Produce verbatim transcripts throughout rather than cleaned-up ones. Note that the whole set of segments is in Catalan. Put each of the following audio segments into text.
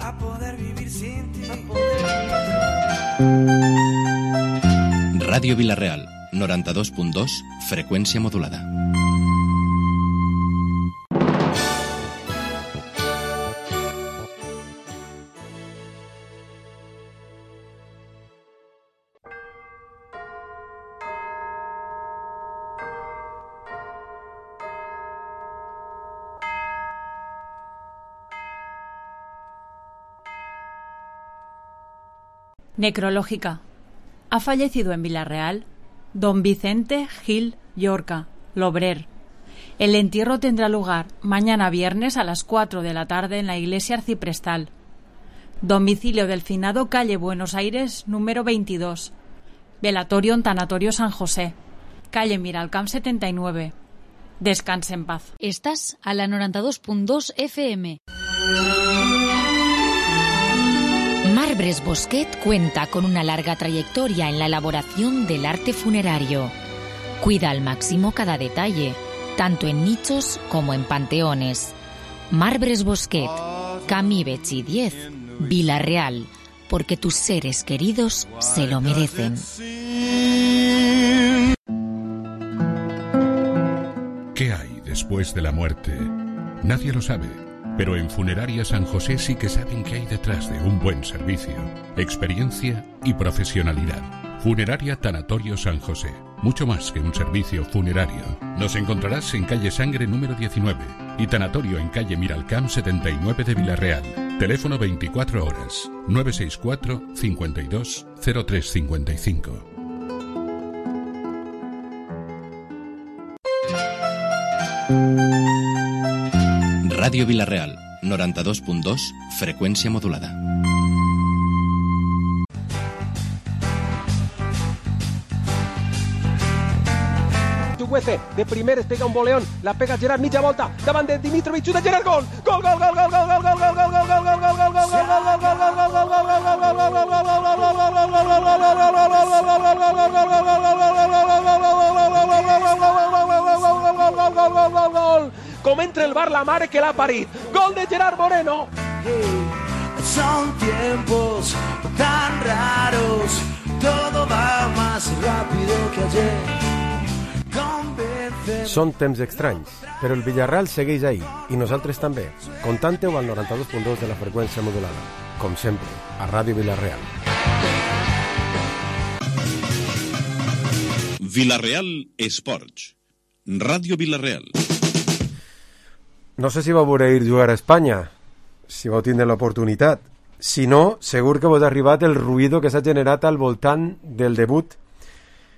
a poder vivir sin ti. Ràdio Vila-real, noranta-dos punt dos, freqüència modulada. Necrológica. Ha fallecido en Vila-real don Vicente Gil Llorca, Lobrer. El entierro tendrá lugar mañana viernes a las cuatro de la tarde en la iglesia arciprestal. Domicilio del finado, calle Buenos Aires, número veintidós. Velatorio en Tanatorio San José, calle Miralcamp setenta y nueve. Descanse en paz. Estás a la noranta-dos punt dos F M. Marbres Bosquet cuenta con una larga trayectoria en la elaboración del arte funerario. Cuida al máximo cada detalle, tanto en nichos como en panteones. Marbres Bosquet, Camí Betxí diez, Vila-real, porque tus seres queridos se lo merecen. ¿Qué hay después de la muerte? Nadie lo sabe. Pero en Funeraria San José sí que saben qué hay detrás de un buen servicio, experiencia y profesionalidad. Funeraria Tanatorio San José, mucho más que un servicio funerario. Nos encontrarás en calle Sangre número diecinueve y Tanatorio en calle Miralcamp setenta y nueve de Vila-real. Teléfono veinticuatro horas, nueve seis cuatro, cincuenta y dos, cero tres cincuenta y cinco. Ràdio Vila-real, noranta-dos punt dos, freqüència modulada. Chuguece, de primer es pega un boleón, la pega Gerard, mitja volta, davant de Dimitrovic, xuta Gerard, gol! Gol, gol, gol, gol, gol, gol, gol, gol, gol, gol, gol, gol, gol, gol, gol, com entra el bar la mare que l'ha parit. Gol de Gerard Moreno. Son tiempos tan raros, todo va más rápido que ayer. Són temps estranys, però el Villarreal segueix ahí, i nosaltres també. Contante-ho al noranta-dos punt dos de la freqüència modulada, com sempre, a Ràdio Vila-real. Vila-real Esports. Ràdio Vila-real. No sé si vau voler ir jugar a Espanya, si vau tindre l'oportunitat. Si no, segur que vos ha arribat el ruïdo que s'ha generat al voltant del debut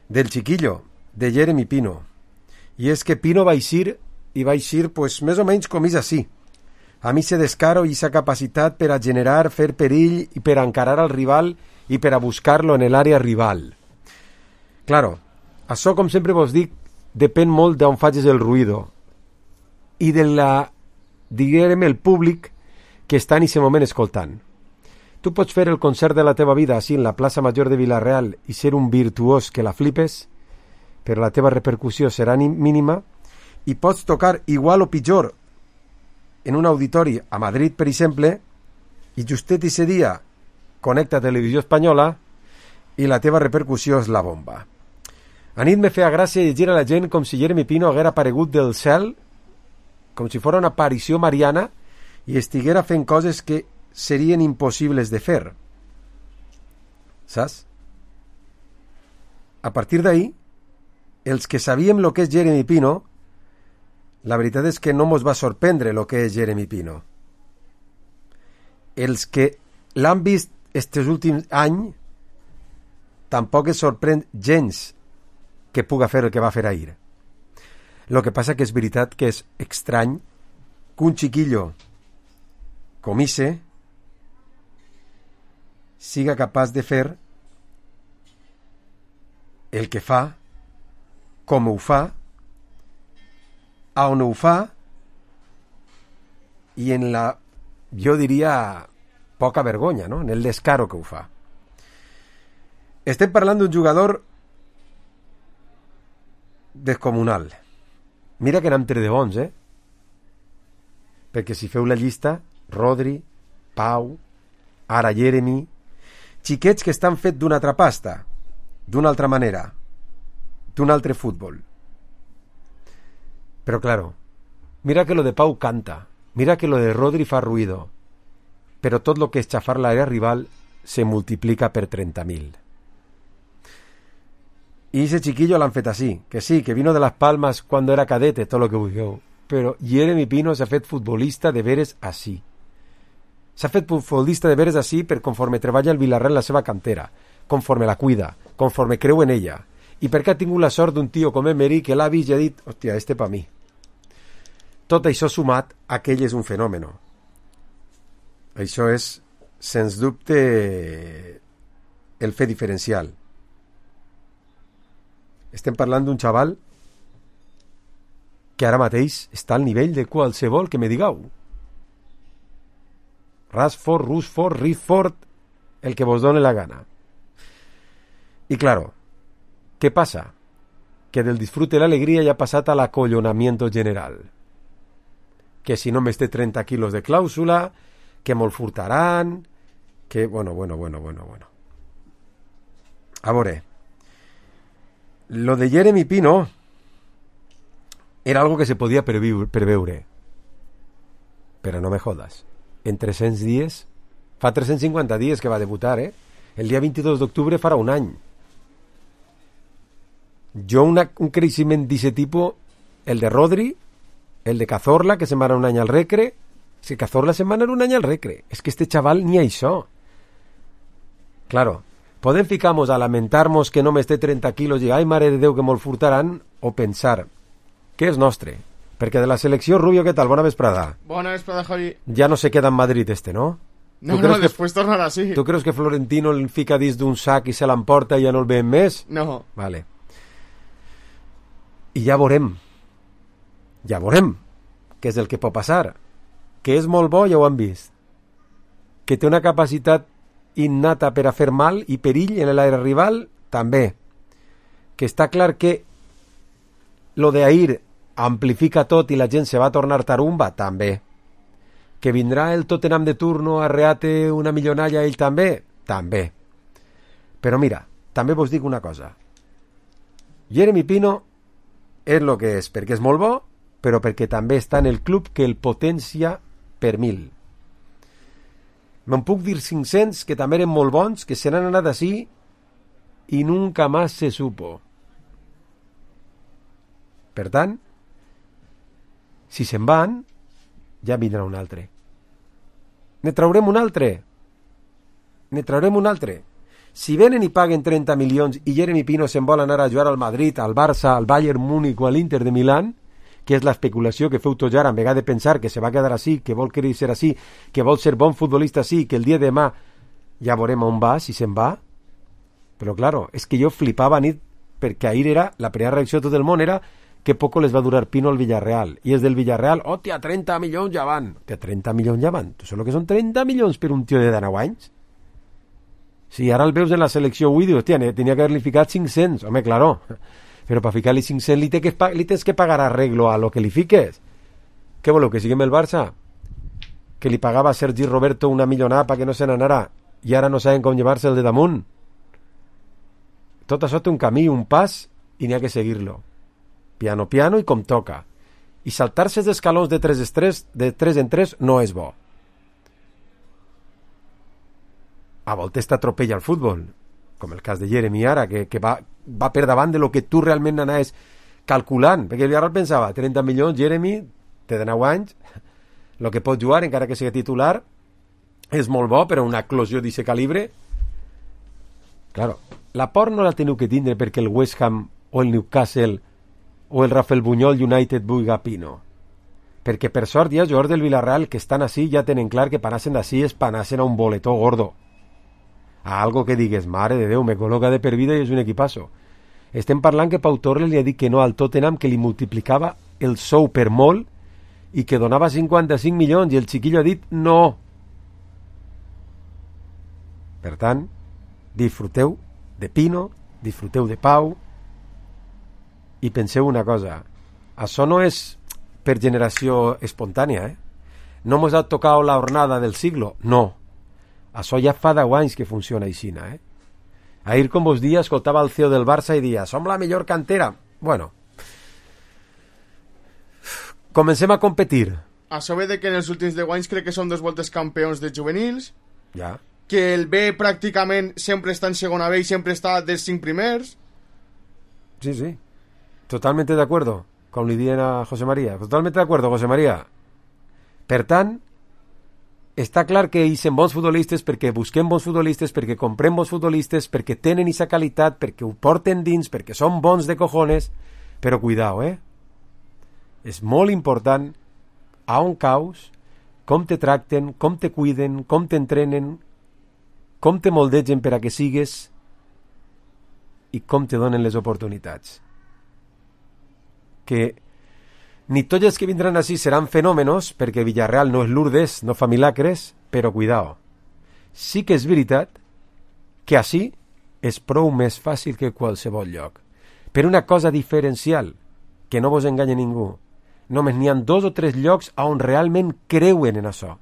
del chiquillo, de Jeremy Pino. I és que Pino va eixir, i va eixir pues, més o menys com és així. A mi se descaro i sa capacitat per a generar, fer perill i per a encarar al rival i per a buscar-lo en l'àrea rival. Claro, això, com sempre vos dic, depèn molt d'on facis el ruïdo i de la, diguem, el públic que està en aquest moment escoltant. Tu pots fer el concert de la teva vida així en la plaça Major de Vila-real i ser un virtuós que la flipes, però la teva repercussió serà mínima, i pots tocar igual o pitjor en un auditori a Madrid, per exemple, i justet ese dia connecta Televisió Espanyola i la teva repercussió és la bomba. A nit me feia gràcia llegir a la gent com si Jeremy Pino haguera aparegut del cel, com si fos una aparició mariana, i estiguera fent coses que serien impossibles de fer. Saps? A partir d'ahí, els que sabíem el que és Jeremy Pino, la veritat és que no mos va sorprendre el que és Jeremy Pino. Els que l'han vist estos últims anys tampoc es sorprèn gens que puga fer el que va fer ahir. El que passa que és veritat que és estrany que un chiquillo com ese siga capaç de fer el que fa, com ho fa, a on ho fa, i en la, jo diria, poca vergonya, no? En el descaro que ho fa. Estem parlant d'un jugador descomunal. Mira que n'hem tret de bons, eh? Perquè si feu la llista, Rodri, Pau, ara Jeremy, xiquets que estan fets d'una altra pasta, d'una altra manera, d'un altre futbol. Pero claro, mira que lo de Pau canta, mira que lo de Rodri fa ruido, pero todo lo que es chafar la área rival se multiplica per treinta mil. Y ese chiquillo l'han fet así, que sí, que vino de Las Palmas cuando era cadete, todo lo que vulgueu, pero Jeremy Pino s'ha fet futbolista de veres así. S'ha fet futbolista de veres así per conforme treballa el Villarreal en la seva cantera, conforme la cuida, conforme creu en ella, i perquè ha tingut la sort d'un tio com Emery que l'ha vist i ha dit, hòstia, este pa mi. Tot això sumat a que ell és un fenòmeno. Això és, sens dubte, el fet diferencial. Estem parlant d'un xaval que ara mateix està al nivell de qualsevol que me digueu. Rashford, Rushford, Ritford, el que vos done la gana. Y claro, ¿qué pasa? Que del disfrute y la alegría ya ha passat a l'acollonamiento general. Que si no me esté treinta quilos de clàusula, que me'l furtaran, que... Bueno, bueno, bueno, bueno, bueno. A veure, lo de Jeremy Pino era algo que se podía preveure. Pero no me jodas. En tres-cents dies, fa tres-cents cinquanta dies que va debutar, eh? El dia vint-i-dos d'octubre farà un any. Jo una, un creixement d'aquest tipus, el de Rodri, el de Cazorla, que se'n va anar un any al Recre, és que Cazorla se'n va anar un any al Recre. És que este chaval ni això. Claro, podem ficar-nos a lamentar-nos que no m'esté treinta quilos i ai, mare de Déu, que me'l furtaran, o pensar que és nostre. Perquè de la selecció, Rubio, què tal? Bona vesprada. Bona vesprada, Javi. Ja no se queda en Madrid este, ¿no? No, no, que, després tornarà así. Tu creus que Florentino el fica dins d'un sac i se l'emporta i ja no el veiem més? No. Vale. I ja veurem. Ja veurem què és el que pot passar. Que és molt bo, ja ho han vist. Que té una capacitat innata per a fer mal i perill en l'aire rival, també. Que està clar que lo de ahir amplifica tot i la gent se va a tornar tarumba, també. Que vindrà el Tottenham de turno a reate una millonalla ell també, també. Però mira, també vos dic una cosa. Jeremy Pino és el que és, perquè és molt bo, però perquè també està en el club que el potència per mil. Me'n puc dir cinc-cents que també eren molt bons, que se n'han anat així i nunca más se supo. Per tant, si se'n van, ja vindrà un altre. Ne traurem un altre. Ne traurem un altre. Si venen i paguen trenta milions i Jeremy Pino se'n vol anar a jugar al Madrid, al Barça, al Bayern Múnich o a l'Inter de Milán, que és l'especulació que feu tots ara, en vegada de pensar que se va quedar així, que vol querer ser així, que vol ser bon futbolista així, que el dia de demà ja veurem on va, si se'n va. Però, claro, és que jo flipava nit, perquè ahir era, la primera reacció de tot el món era que poco les va durar Pino al Villarreal. I és del Villarreal, hòstia, trenta milions ja van. Hòstia, trenta milions ja van. Tu saps que són trenta milions per un tio de dinou anys? Si ara el veus en la selecció avui, dius, hòstia, tenia que haver-li ficat cinc-cents. Home, claro. Però per ficar-li cinc-cents li, té que, li tens que pagar arreglo a lo que li fiques. Què voleu, que siguem el Barça? Que li pagava a Sergi Roberto una millonada perquè no se n'anara i ara no saben com llevar-se el de damunt. Tot això té un camí, un pas, i n'hi ha que seguir-lo. Piano, piano i com toca. I saltar-se els escalons de tres, tres, de tres en tres no és bo. A voltes t'atropella el futbol, com el cas de Jeremy ara, que, que va, va per davant de lo que tu realment anaves calculant, perquè el Villarreal pensava, trenta milions, Jeremy, té dinou anys, el que pot jugar, encara que sigui titular, és molt bo, però una eclosió d'aquest calibre... Claro, la por no la teniu que tindre perquè el West Ham o el Newcastle o el Rafael Buñol United vulga Pino. Perquè per sort hi ha jugadors del Villarreal que estan així ja tenen clar que panassen d'ací és panassen a un boletó gordo. A algo que digues, mare de Déu, me col·loca de per vida i és un equipasso. Estem parlant que Pau Torres li ha dit que no al Tottenham, que li multiplicava el sou per molt i que donava cinquanta-cinc milions i el xiquillo ha dit no. Per tant, disfruteu de Pino, disfruteu de Pau i penseu una cosa, això no és per generació espontània, eh? No mos ha tocat la jornada del siglo, no. Això ja fa deu anys que funciona així, eh? Ahir, com vos dia, escoltava el C E O del Barça i dia, som la millor cantera. Bueno, comencem a competir. Això ve de que en els últims deu anys crec que són dos voltes campions de juvenils, Ja. que el B pràcticament sempre està en segona B i sempre està dels cinc primers. Sí, sí. Totalmente de acuerdo, com li diuen a José María. Totalmente de acuerdo, José María. Per tant, està clar que hi són bons futbolistes perquè busquem bons futbolistes, perquè comprem bons futbolistes, perquè tenen aquesta qualitat, perquè ho porten dins, perquè són bons de cojones, però cuidao, eh? És molt important a on caus, com te tracten, com te cuiden, com t'entrenen, com te moldegen per a que sigues i com te donen les oportunitats. Que ni tots els que vindran així seran fenòmenos, perquè Villarreal no és Lourdes, no fa milagres, però cuidao. Sí que és veritat que així és prou més fàcil que qualsevol lloc. Per una cosa diferencial, que no vos enganya ningú. Només n'hi ha dos o tres llocs on realment creuen en això.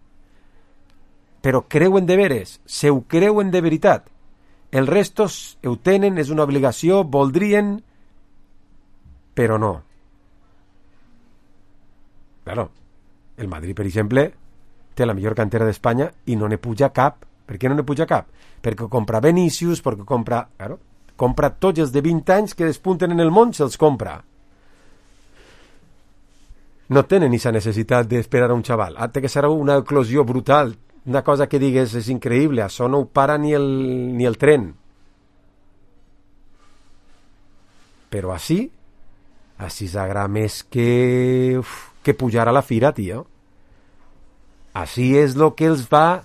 Però creuen de veres, se ho creuen de veritat. El resto ho tenen, és una obligació, voldrien, però no. Claro, el Madrid, per exemple, té la millor cantera d'Espanya i no ne puja cap. Per què no ne puja cap? Perquè compra Vinícius, perquè compra... Claro, compra tots els de vint anys que despunten en el món, se'ls compra. No tenen aquesta necessitat d'esperar a un xaval. Ah, té que ser una eclosió brutal, una cosa que digues és increïble, això no ho para ni el, ni el tren. Però així, així s'agrada més que, uf, que pujar a la fira, tio. Així és el que els va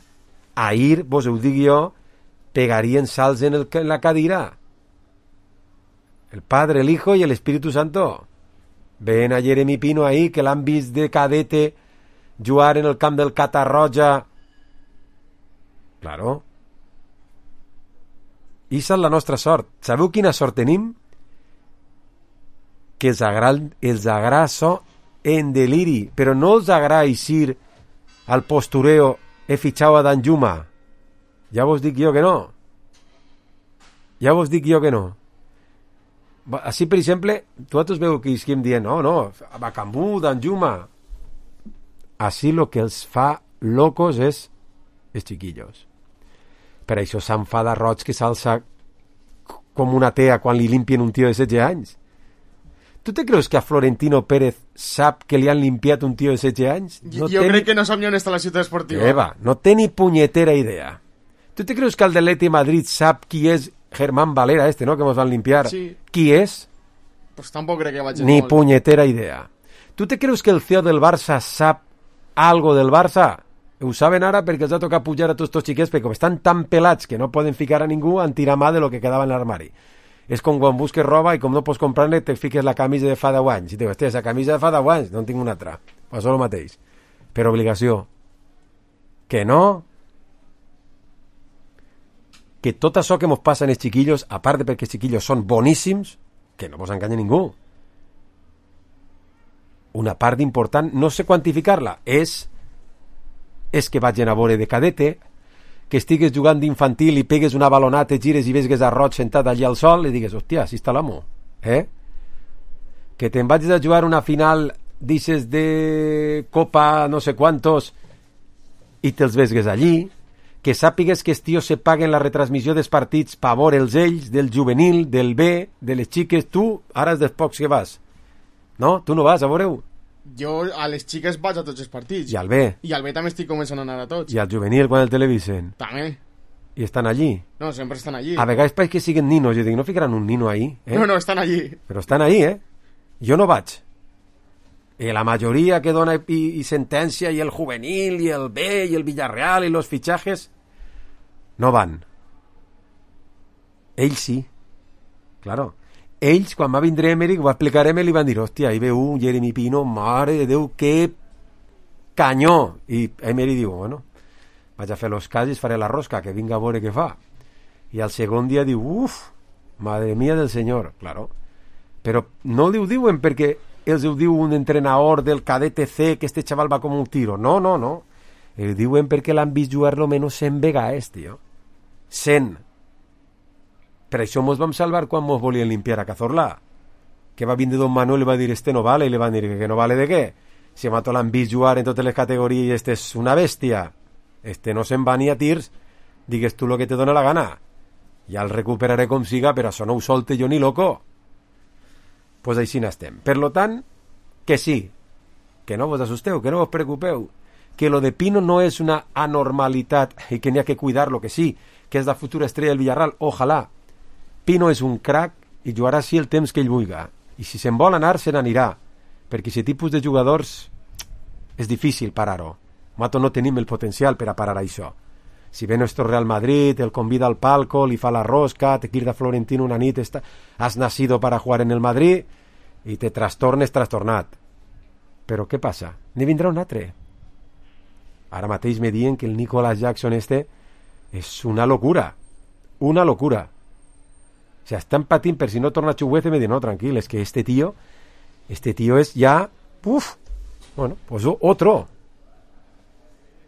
ahir, vos ho dic jo, pegarien salts en, el, en la cadira. El Padre, el Hijo y el Espíritu Santo. Ven a Jeremy Pino ahí, que l'han vist de cadete jugar en el camp del Catarroja. Claro. Issa és la nostra sort. Sabeu quina sort tenim? Que els agrada, els agrada això en deliri, però no els agrada eixir al postureo he fitxado a Danjuma. Ja vos dic jo que no. Ja vos dic jo que no. Així, per exemple, vosaltres veu que esquim dient, no, no, Bacambú, Danjuma. Així el que els fa locos és els chiquillos. Per això s'enfada Roig que s'alça com una tea quan li limpien un tio de setze anys. Tu te creus que a Florentino Pérez sap que li han limpiat un tio de setze anys? No jo crec ni... que no sap ni on està la ciutat esportiva. Eva, no té ni punyetera idea. Tu te creus que el de l'Atleti Madrid sap qui és Germán Valera, este, no?, que ens van limpiar? Sí. Qui és? Pues tampoc crec que vagi ni molt. Punyetera idea. Tu te creus que el C E O del Barça sap algo del Barça? Ho saben ara perquè els ha tocat pujar a tots els xiquets, perquè com estan tan pelats que no poden ficar a ningú, han tirat mà de lo que quedava en l'armari. És com quan busques roba i com no pots comprar-ne te fiques la camisa de fa deu anys i dius, hòstia, esa camisa de fa deu anys, no en tinc una altra. Pues això el mateix. Per obligació. Que no? Que tot això que mos passa en els xiquillos, a part de perquè els xiquillos són boníssims, que no vos enganya ningú. Una part important, no sé quantificar-la, és és que vagin a veure de cadete, que estigues jugant d'infantil i pegues una balonata, gires i vesgues a Roig sentat allà al sol i digues, hòstia, així està l'amo. Eh? Que te'n vagis a jugar una final d'ixes de Copa no sé quantos i te'ls vesgues allí, que sàpigues que els tios se paguen la retransmissió dels partits per veure'ls ells, del juvenil, del B, de les xiques. Tu, ara és dels pocs que vas. No? Tu no vas a veure-ho? Jo a les xiques vaig a tots els partits. I al B? I al B també estic començant a anar a tots. I al juvenil quan el televisen? També. I estan allí? No, sempre estan allí. A vegades pareix que siguen ninos. Jo dic, no ficaran un nino ahí? Eh? No, no, estan allí. Però estan ahí, eh? Jo no vaig. I la majoria que dona i, i sentència, i el juvenil, i el B, i el Villarreal, i los fitxajes, no van. Ells sí. Claro. Ells, quan va vindre Emery, ho va explicar Emery, li van dir, hòstia, ahí veu un Jeremy Pino, mare de Déu, que canyó. I Emery diu, bueno, vaig a fer los casos, faré la rosca, que vinga a veure què fa. I al segon dia diu, uf, madre mía del senyor, claro. Però no li ho diuen perquè els ho diu un entrenador del cadete C que este xaval va com un tiro. No, no, no. Eh, diuen perquè l'han vist jugar-lo menys cent vegades, tio. cent. Per això mos vam salvar quan mos volien limpiar a Cazorla. Que va vindre Don Manuel i va dir este no vale, i li van dir que no vale de què. Si a Mato l'han vist jugar en totes les categories i este és una bèstia. Este no se'n va ni a tirs, digues tu lo que te dona la gana. Ja el recuperaré com siga, però això no ho solte jo ni loco. Pues així n'estem. Per lo tant, que sí, que no vos assusteu, que no vos preocupeu, que lo de Pino no és una anormalitat i que n'hi ha que cuidar-lo, que sí, que és la futura estrella del Villarreal, ojalà. Pino és un crac i jugarà així el temps que ell vulga. I si se'n vol anar, se n'anirà. Perquè aquest tipus de jugadors és difícil parar-ho. Mato no tenim el potencial per a parar això. Si ve nuestro Real Madrid, el convida al palco, li fa la rosca, te quirda Florentino una nit, está... has nacido para jugar en el Madrid i te trastornes trastornat. Però què passa? N'hi vindrà un altre. Ara mateix me diuen que el Nicolas Jackson este és una locura. Una locura. O sea, están patint per si no torna a Chuguece, me diuen, no, tranquil, es que este tío, este tío es ya, uf, bueno, pues otro.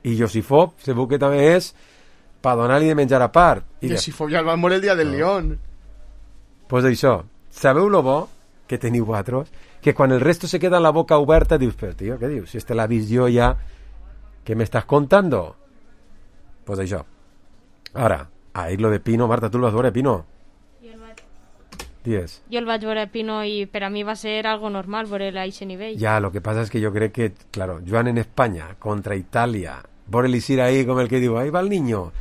I Josifov, segur que també és per donar-li de menjar a part. I Josifov ja el van morir el dia del no. León. Pues això, sabeu lo bo que teniu vosaltres? Que quan el resto se queda en la boca oberta dius, però tio, què dius? Si este l'ha vist jo ja, què m'estàs contando? Pues això. Ara, ahir lo de Pino, Marta, tu el vas veure, Pino? Dies. Jo el vaig veure Pino i per a mi va ser algo normal veure-lo a aquest nivell. Ya, lo que pasa es que yo creo que, claro, Joan en España contra Italia, por el ir ahí como el que digo, ahí va el niño,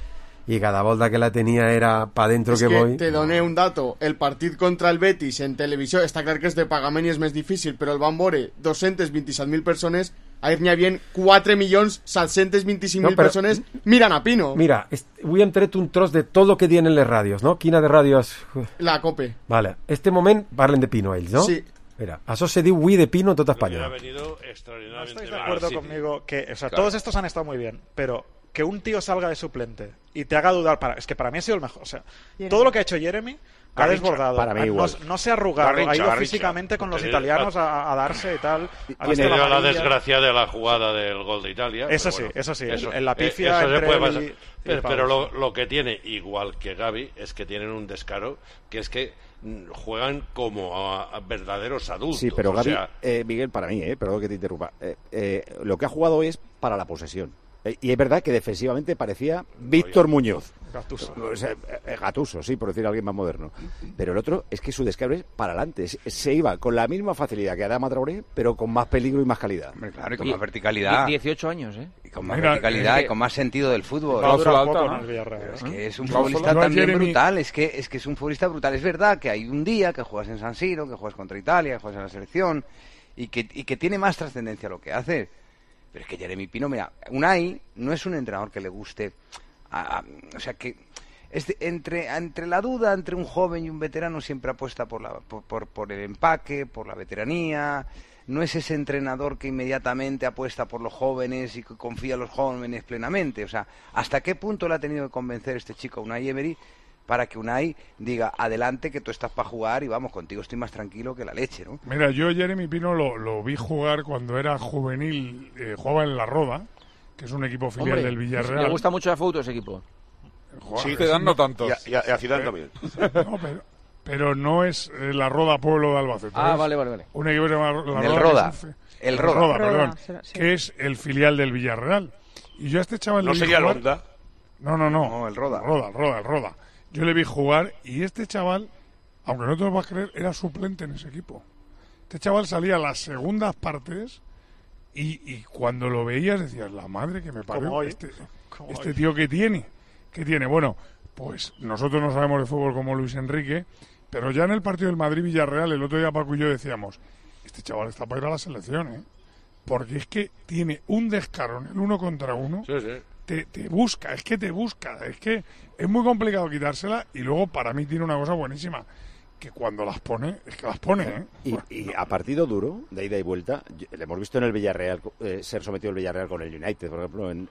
y cada volta que la tenía era pa dentro es que, que voy. Te doné un dato, el partit contra el Betis en televisió, està clar que és de pagament i és més difícil, però el van veure dos-cents vint-i-set mil persones, ahir n'hi havia quatre milions set-cents vint-i-cinc mil no, persones mirant a Pino. Mira, avui hem tret un tros de tot el que diuen en les ràdios, no? Quina de ràdios? La COPE. Vale, este moment parlen de Pino ells, no? Sí. Mira, eso se diu Wii de Pino en toda España. Ha venido extraordinariamente. No estáis de acuerdo sí, conmigo que, o sea, claro. Todos estos han estado muy bien, pero que un tío salga de suplente y te haga dudar, para, es que para mí ha sido el mejor. O sea, Jeremy. Todo lo que ha hecho Jeremy ha desbordado. Para mí igual. No, no se ha arrugado, Garrincha, ha ido Garrincha. físicamente con los Tenía, italianos a, a darse y tal. Ha tenido la desgracia de la jugada del gol de Italia. Eso sí, bueno, eso sí, eso, en la pifia eso entre se puede él pasar. y, y Pero, Pablo. pero lo, lo que tiene, igual que Gavi, es que tienen un descaro, que es que juegan como a, a verdaderos adultos. Sí, pero Gavi, o sea... eh, Miguel, para mí, eh, perdón que te interrumpa, eh, eh, lo que ha jugado es para la posesión. Eh, y es verdad que defensivamente parecía Víctor Muñoz. Gattuso. O sea, eh, Gattuso, sí, por decir alguien más moderno. Pero el otro es que su descargo es para adelante. Se, se iba con la misma facilidad que Adama Traoré, pero con más peligro y más calidad. Hombre, claro, y con y, más verticalidad. dieciocho años, ¿eh? Y con más Mira, verticalidad eh, y con más sentido del fútbol. Cláusula alta, alta, ¿no? ¿no? Villarreal, es que es un Cláusula. futbolista también Jeremy... brutal. Es que, es que es un futbolista brutal. Es verdad que hay un día que juegas en San Siro, que juegas contra Italia, que juegas en la selección, y que, y que tiene más trascendencia lo que hace. Pero es que Jeremy Pino, mira, Unai no es un entrenador que le guste, a, a, o sea que es de, entre entre la duda entre un joven y un veterano siempre apuesta por la por, por, por el empaque, por la veteranía. No es ese entrenador que inmediatamente apuesta por los jóvenes y que confía en los jóvenes plenamente. O sea, ¿hasta qué punto le ha tenido que convencer este chico Unai Emery para que Unai diga, adelante, que tú estás para jugar y vamos, contigo estoy más tranquilo que la leche, ¿no? Mira, yo Jeremy Pino lo, lo vi jugar cuando era juvenil, eh, jugaba en La Roda, que es un equipo filial Hombre, del Villarreal. Me gusta mucho la foto ese equipo. Joder, sí, te dan no tantos. Y a, y a Zidane también. No, pero, pero no es eh, La Roda Pueblo de Albacete. Ah, vale, vale, vale. Un equipo que se llama La el Roda. Roda. Que es el Roda. Roda. Roda, perdón. Roda, sí. Que es el filial del Villarreal. Y yo a este chaval... ¿No le vi sería el jugar... Honda? No, no, no. No, el Roda. El Roda, el Roda, el Roda. Yo le vi jugar y este chaval, aunque no te lo vas a creer, era suplente en ese equipo. Este chaval salía a las segundas partes y, y cuando lo veías decías, la madre que me parió, este, este tío que tiene, que tiene. Bueno, pues nosotros no sabemos de fútbol como Luis Enrique, pero ya en el partido del Madrid-Villarreal, el otro día Paco y yo decíamos, este chaval está para ir a la selección, ¿eh? Porque es que tiene un descaro en el uno contra uno. Sí, sí. Te, te busca, es que te busca, es que es muy complicado quitársela y luego para mí tiene una cosa buenísima, que cuando las pone, es que las pone, ¿eh? Y, y a partido duro, de ida y vuelta, le hemos visto en el Villarreal, eh, ser sometido el Villarreal con el United, por ejemplo, en,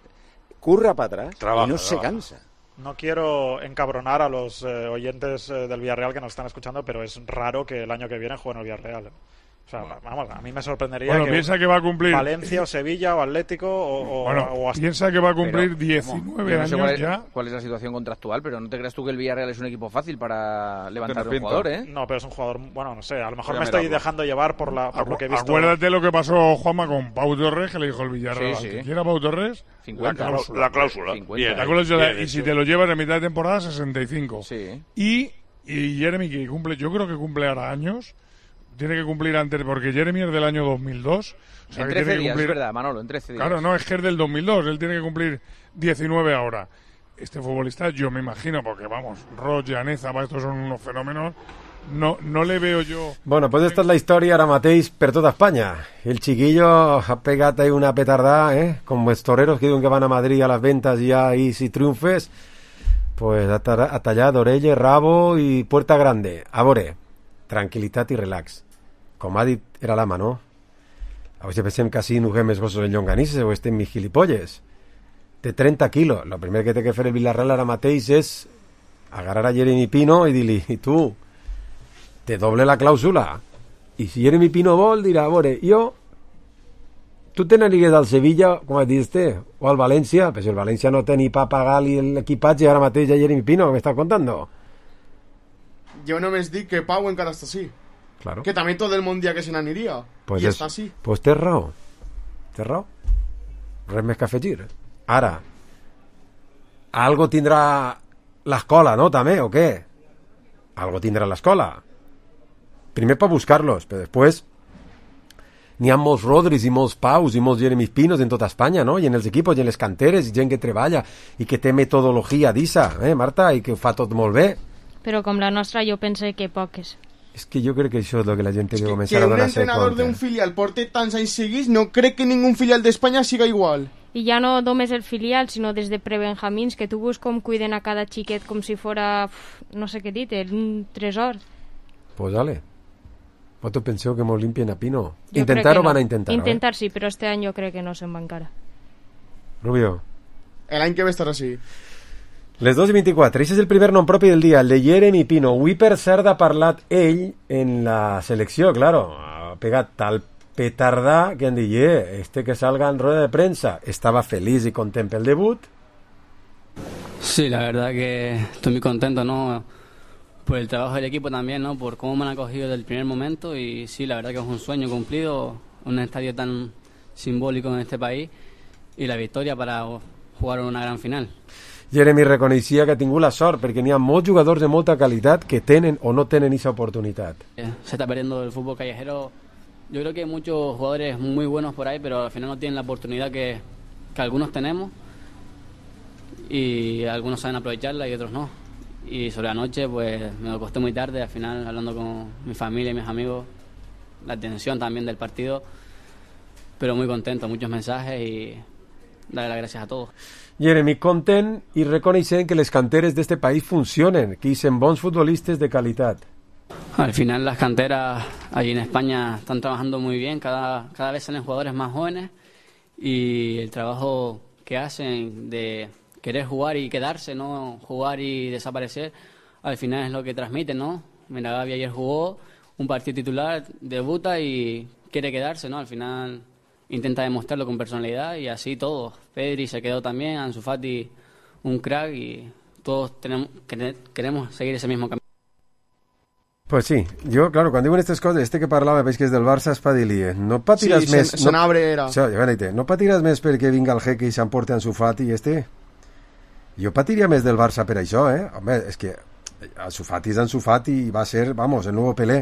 curra para atrás trabaja, y no trabaja. se cansa. No quiero encabronar a los eh, oyentes eh, del Villarreal que nos están escuchando, pero es raro que el año que viene jueguen el Villarreal. ¿eh? O sea, vamos, a mí me sorprendería Bueno, que piensa que va a cumplir Valencia o Sevilla o Atlético o, o, Bueno, o hasta- piensa que va a cumplir Pero, diecinueve yo no sé años cuál es, ya. cuál es la situación contractual, pero no te creas tú que el Villarreal es un equipo fácil para levantar un pinta. jugador, ¿eh? No, pero es un jugador, bueno, no sé, a lo mejor Voy a me estoy mirarlo. dejando llevar por, la, por lo que he visto. Acuérdate lo que pasó, Juanma, con Pau Torres, que le dijo el Villarreal. Sí, al sí. que quiera Pau Torres, cincuenta. la cláusula. La cláusula. cincuenta. La cláusula, Bien y hecho. si te lo llevas en mitad de temporada, sesenta y cinco. Sí. Y, y Jeremy, que cumple, yo creo que cumple ahora años, tiene que cumplir antes, porque Jeremy es del año dos mil dos. O sea, En que trece tiene que días, cumplir, es verdad, Manolo, en trece días. Claro, no, es que es del dos mil dos, él tiene que cumplir diecinueve ahora. Este futbolista, yo me imagino, porque vamos, Roig, Llaneza, estos son unos fenómenos, no, no le veo yo... Bueno, pues esta és la història ara mateix per tota Espanya. El chiquillo ha pegat ahí una petardada, ¿eh? Como els toreros que diuen que van a Madrid a las ventas y ahí si triunfes, pues ha, ta- ha tallat orelles, rabo i puerta grande. A veure, tranquil·litat i relax. Com ha dit, era l'ama, no? A veure si pensem que així nuguem els gossos en llonganisses o estem mig gilipolles. De trenta quilos. Lo primer que té que fer el Villarreal ara mateix és agarrar a Jeremy Pino i dir-li, i tu, te doble la clàusula. I si Jeremy Pino vol, dirà, a veure, jo, tu te n'aniries al Sevilla, com has dit, este, o al València, però si el València no té ni pa pagar-li l'equipatge ara mateix a Jeremy Pino, que m'estàs contando? Jo només dic que Pau encara està així. Claro. Que també tot el món dia que se n'aniria. Pues I és- està així. Pues té raó. Té raó. Res més que afegir. Ara, algo tindrà l'escola, no, també, o què? Algo tindrà l'escola. Primer per buscar-los, però després n'hi ha molts Rodris i molts Paus i molts Jeremy Pinos en tota Espanya, no? I en els equipos i en les canteres, i gent que treballa i que té metodologia d'issa, eh, Marta? I que ho fa tot molt bé. Però com la nostra jo pense que poques. És que jo crec que això és el que la gent té que Que començar a un donar-se entrenador compte. d'un filial porte tants anys seguits, no crec que ningú filial d'Espanya siga igual. I ja no només el filial, sinó des de prebenjamins, que tu veus com cuiden a cada xiquet com si fora, uf, no sé què dir, un tresor. Pues dale. Vosaltres penseu que molt limpien a Pino? Jo Intentar crec que o van no. a intentar? Intentar sí, però este any jo crec que no se'n va encara. Eh? Rubio. L'any que ve estarà així. Les dos i vint-i-quatre. Aquest és el primer nom propi del dia, el de Jeremy Pino. Avui, per cert, ha parlat ell en la selecció, claro. Ha pegat tal petardà que han dit, eh, este que salga en rueda de prensa. Estava feliç i content pel debut. Sí, la verdad que estoy muy contento, ¿no? Por el trabajo del equipo también, ¿no? Por cómo me han acogido desde el primer momento y sí, la verdad que es un sueño cumplido, un estadio tan simbólico en este país y la victoria para jugar una gran final. Jeremy reconeixia que ha tingut la sort perquè n'hi ha molts jugadors de molta qualitat que tenen o no tenen aquesta oportunitat. Eh, Se está perdiendo el fútbol callejero. Yo creo que hay muchos jugadores muy buenos por ahí, pero al final no tienen la oportunidad que, que algunos tenemos y algunos saben aprovecharla y otros no. Y sobre la noche, pues me acosté muy tarde, al final hablando con mi familia y mis amigos, la tensión también del partido, pero muy contento, muchos mensajes y darle las gracias a todos. Jeremy content i reconeixent que les canteres d'este país funcionen, que hi són bons futbolistes de qualitat. Al final las canteras allí en España están trabajando muy bien, cada, cada vez salen jugadores más jóvenes y el trabajo que hacen de querer jugar y quedarse, no jugar y desaparecer, al final es lo que transmiten, ¿no? Mira, Gavi ayer jugó un partido titular, debuta y quiere quedarse, ¿no? Al final intenta demostrarlo con personalidad y así todos. Pedri se quedó también, Ansu Fati un crack y todos tenemos, queremos seguir ese mismo camino. Pues sí, jo, claro, quan diuen aquestes coses, este que parlava, veig que és del Barça, es patillie. No patiràs Sí, més... se- Senabre era. Això, ja veure, no patiràs més perquè vinga el jeque i s'emporti Ansu Fati i este? Jo patiria més del Barça per això, eh? Home, és que Ansu Fati és Ansu Fati i va ser, vamos, el nou Pelé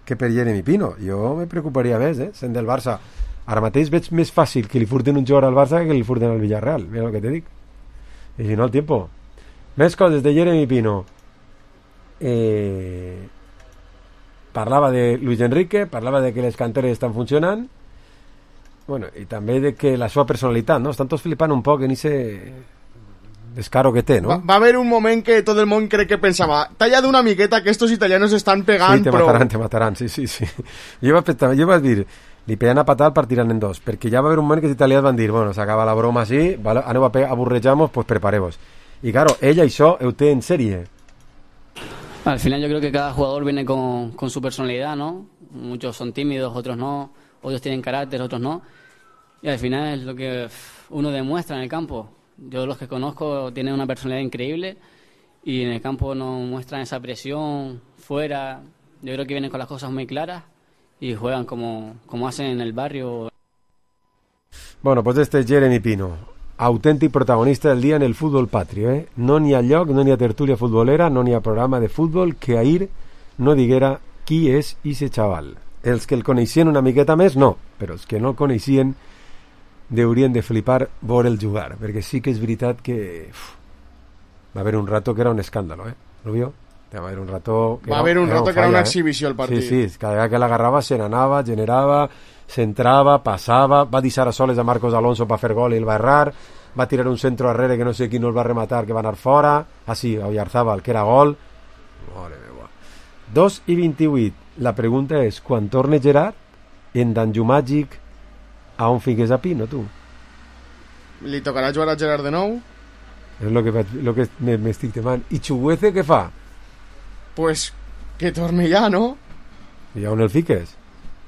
que per Jeremy Pino. Jo me preocuparia més, eh? Sent del Barça. Ara mateix veig més fàcil que li furten un jugador al Barça que li furten al Villarreal. Mira el que te dic. I si no, el tiempo. Més coses de Jeremy Pino. Eh... Parlava de Luis Enrique, parlava de que les canteres estan funcionant, bueno, i també de que la seva personalitat, no? Estan tots flipant un poc en ese descaro que té, no? Va, va haver un moment que tot el món crec que pensava talla d'una miqueta que estos italianos estan pegant, Sí, te però... mataran, te mataran, sí, sí, sí. Jo vaig, pensar, jo vaig dir, li peguen a patar, partiran en dos, perquè ja va haver un moment que els italians van dir, bueno, s'acaba la broma així, vale, aneu a pegar, aburrejamos, pues preparemos. I claro, ella això ho té en sèrie. Al final yo creo que cada jugador viene con, con su personalidad, ¿no? Muchos son tímidos, otros no, otros tienen carácter, otros no. Y al final es lo que uno demuestra en el campo. Yo los que conozco tienen una personalidad increíble y en el campo no muestran esa presión fuera. Yo creo que vienen con las cosas muy claras y juegan como, como hacen en el barrio. Bueno, pues este es Jeremy Pino, autèntic protagonista del dia en el futbol patrio, eh? No n'hi ha lloc, no n'hi ha tertúlia futbolera, no n'hi ha programa de futbol que ahir no diguera qui és ixe xaval. Els que el coneixien una miqueta més, no, però els que no el coneixien deurien de flipar veure'l jugar, perquè sí que és veritat que uf, va haver un rato que era un escàndalo, eh? Rubio? Va haver un rato que va era, haver un era rato un que era una falla, exhibició el partit. Sí, sí, cada vegada que l'agarrava se n'anava, generava, s'entrava, passava, va deixar a soles a Marcos Alonso per fer gol i el va errar, va tirar un centro arrere que no sé qui no el va rematar, que va anar fora, ah sí, a Oyarzábal, que era gol. Mare meva. dos i vint-i-vuit. La pregunta és, quan torne Gerard, en Danju Màgic, a on fiques a Pino, tu? Li tocarà jugar a Gerard de nou? És el que, vaig, lo que m'estic temant. I Chuguece què fa? Pues que torne ja, no? I on el fiques?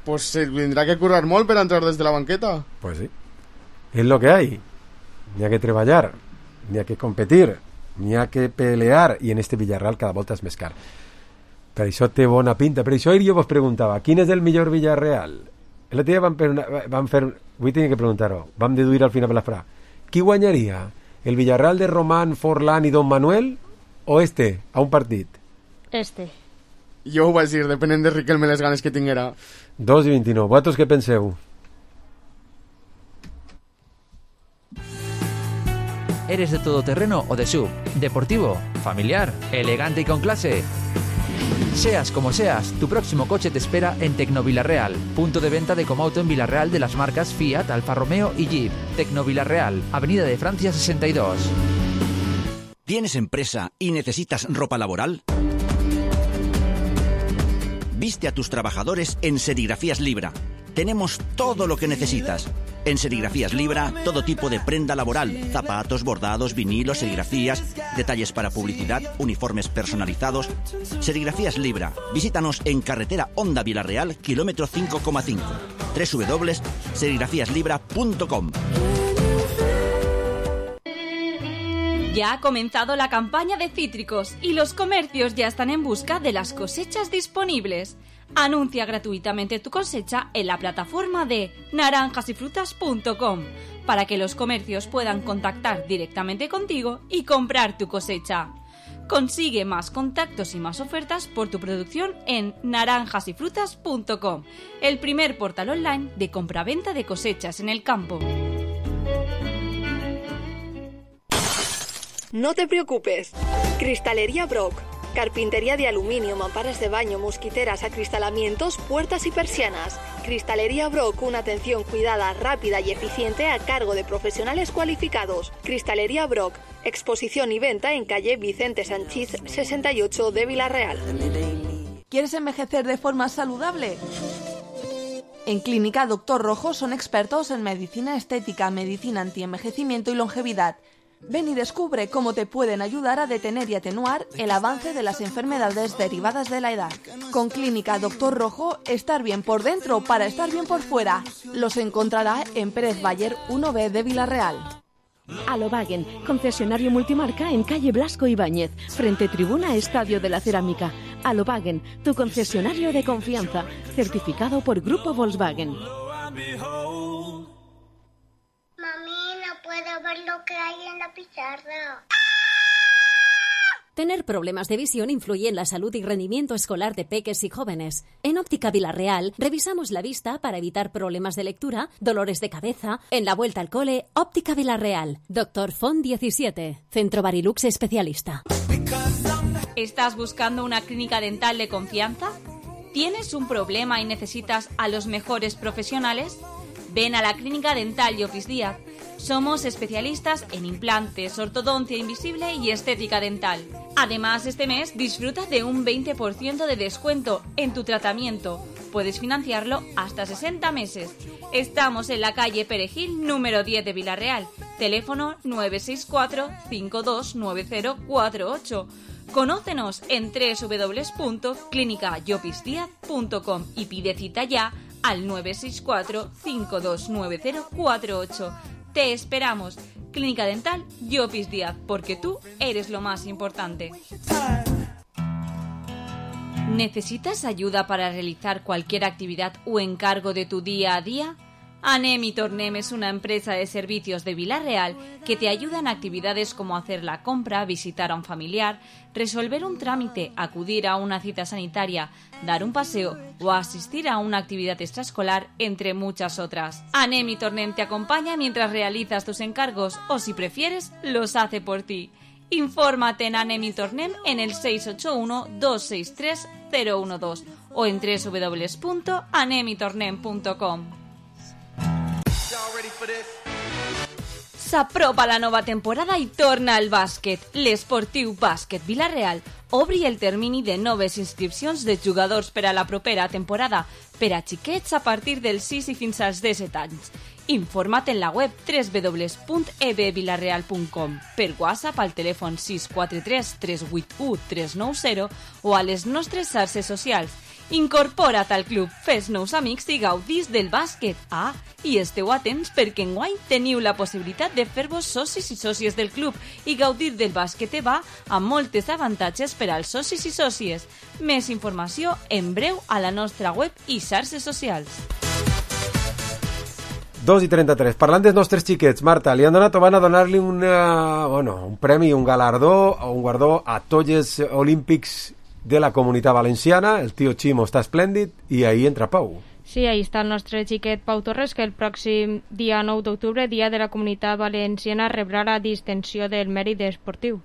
Pues se tendrá que currar molt per entrar des de la banqueta. Pues sí. Es lo que hay. N'hi ha que treballar, n'hi ha que competir, n'hi ha que pelear, i en este Villarreal cada volta és més car. Per això té bona pinta. Per això ahir jo vos preguntava, quin és el millor Villarreal? L'altre dia vam fer, una, vam fer... Avui tenia que preguntar-ho. Vam deduir al final per l'esprà. Qui guanyaria? El Villarreal de Román, Forlán i Don Manuel o este, a un partit? Este. Jo ho vaig dir, depenent de Riquelme les ganes que tinguera. dos i vint-i-nou. Vosaltres què penseu? ¿Eres de todoterreno o de S U V? ¿Deportivo? ¿Familiar? ¿Elegante y con clase? Seas como seas, tu próximo coche te espera en Tecnovilarreal, punto de venta de Comauto en Villarreal de las marcas Fiat, Alfa Romeo y Jeep. Tecnovilarreal, Avenida de Francia sesenta y dos. ¿Tienes empresa y necesitas ropa laboral? Viste a tus trabajadores en Serigrafías Libra. Tenemos todo lo que necesitas. En Serigrafías Libra, todo tipo de prenda laboral, zapatos, bordados, vinilos, serigrafías, detalles para publicidad, uniformes personalizados. Serigrafías Libra. Visítanos en carretera Honda Villarreal, kilómetro cinco coma cinco. doble u doble u doble u punto serigrafías libra punto com. Ya ha comenzado la campaña de cítricos y los comercios ya están en busca de las cosechas disponibles. Anuncia gratuitamente tu cosecha en la plataforma de naranjas y frutas punto com para que los comercios puedan contactar directamente contigo y comprar tu cosecha. Consigue más contactos y más ofertas por tu producción en naranjas y frutas punto com, el primer portal online de compraventa de cosechas en el campo. No te preocupes. Cristalería Brock. Carpintería de aluminio, mamparas de baño, mosquiteras, acristalamientos, puertas y persianas. Cristalería Brock, una atención cuidada, rápida y eficiente a cargo de profesionales cualificados. Cristalería Brock, exposición y venta en calle Vicente Sanchís sesenta y ocho de Villarreal. ¿Quieres envejecer de forma saludable? En Clínica Doctor Rojo son expertos en medicina estética, medicina antienvejecimiento y longevidad. Ven y descubre cómo te pueden ayudar a detener y atenuar el avance de las enfermedades derivadas de la edad. Con Clínica Doctor Rojo, estar bien por dentro para estar bien por fuera. Los encontrará en Pérez Bayer uno B de Villarreal. Alobagen, concesionario multimarca en calle Blasco Ibáñez, frente tribuna Estadio de la Cerámica. Alobagen, tu concesionario de confianza, certificado por Grupo Volkswagen. Puedo ver lo que hay en la pizarra. Tener problemas de visión influye en la salud y rendimiento escolar de peques y jóvenes. En Óptica Villarreal revisamos la vista para evitar problemas de lectura, dolores de cabeza. En la vuelta al cole, Óptica Villarreal. Doctor Font diecisiete, Centro Barilux especialista. ¿Estás buscando una clínica dental de confianza? ¿Tienes un problema y necesitas a los mejores profesionales? Ven a la Clínica Dental y Office Díaz. Somos especialistas en implantes, ortodoncia invisible y estética dental. Además, este mes disfruta de un veinte por ciento de descuento en tu tratamiento puedes financiarlo hasta sesenta meses. Estamos en la calle Perejil, número diez de Villarreal. Teléfono nueve seis cuatro, cinco dos nueve cero cuatro ocho. Conócenos en doble u doble u doble u punto clínica llopis díaz punto com y pide cita ya al nueve seis cuatro, cinco dos nueve cero cuatro ocho. Te esperamos. Clínica Dental Llopis Díaz, porque tú eres lo más importante. ¿Necesitas ayuda para realizar cualquier actividad o encargo de tu día a día? Anem y Tornem es una empresa de servicios de Villarreal que te ayuda en actividades como hacer la compra, visitar a un familiar, resolver un trámite, acudir a una cita sanitaria, dar un paseo o asistir a una actividad extraescolar, entre muchas otras. Anem y Tornem te acompaña mientras realizas tus encargos o, si prefieres, los hace por ti. Infórmate en Anem y Tornem en el seis ocho uno, dos seis tres, cero uno dos o en doble u doble u doble u punto anem y tornem punto com. S'apropa la nova temporada i torna al bàsquet. L'Esportiu Bàsquet Villarreal obri el termini de noves inscripcions de jugadors per a la propera temporada per a xiquets a partir dels sis i fins als disset anys. Informa't en la web doble u doble u doble u punt e b villarreal punt com, per WhatsApp al telèfon sis quatre tres, tres vuit u, tres nou zero o a les nostres xarxes socials. Incorpora't al club, fes nous amics i gaudís del bàsquet. Ah, i esteu atents perquè enguany teniu la possibilitat de fer-vos socis i sòcies del club i gaudir del bàsquet EVA amb moltes avantatges per als socis i sòcies. Més informació en breu a la nostra web i xarxes socials. dos i trenta-tres. Parlant dels nostres xiquets, Marta, li han donat o van a donar-li una, bueno, un premi, un galardó o un guardó a tots els olímpics de la Comunitat Valenciana. El tio Ximo està esplèndid i ahí entra Pau. Sí, ahí està el nostre xiquet Pau Torres, que el pròxim dia nou d'octubre, dia de la Comunitat Valenciana, rebrà la distinció del mèrit esportiu.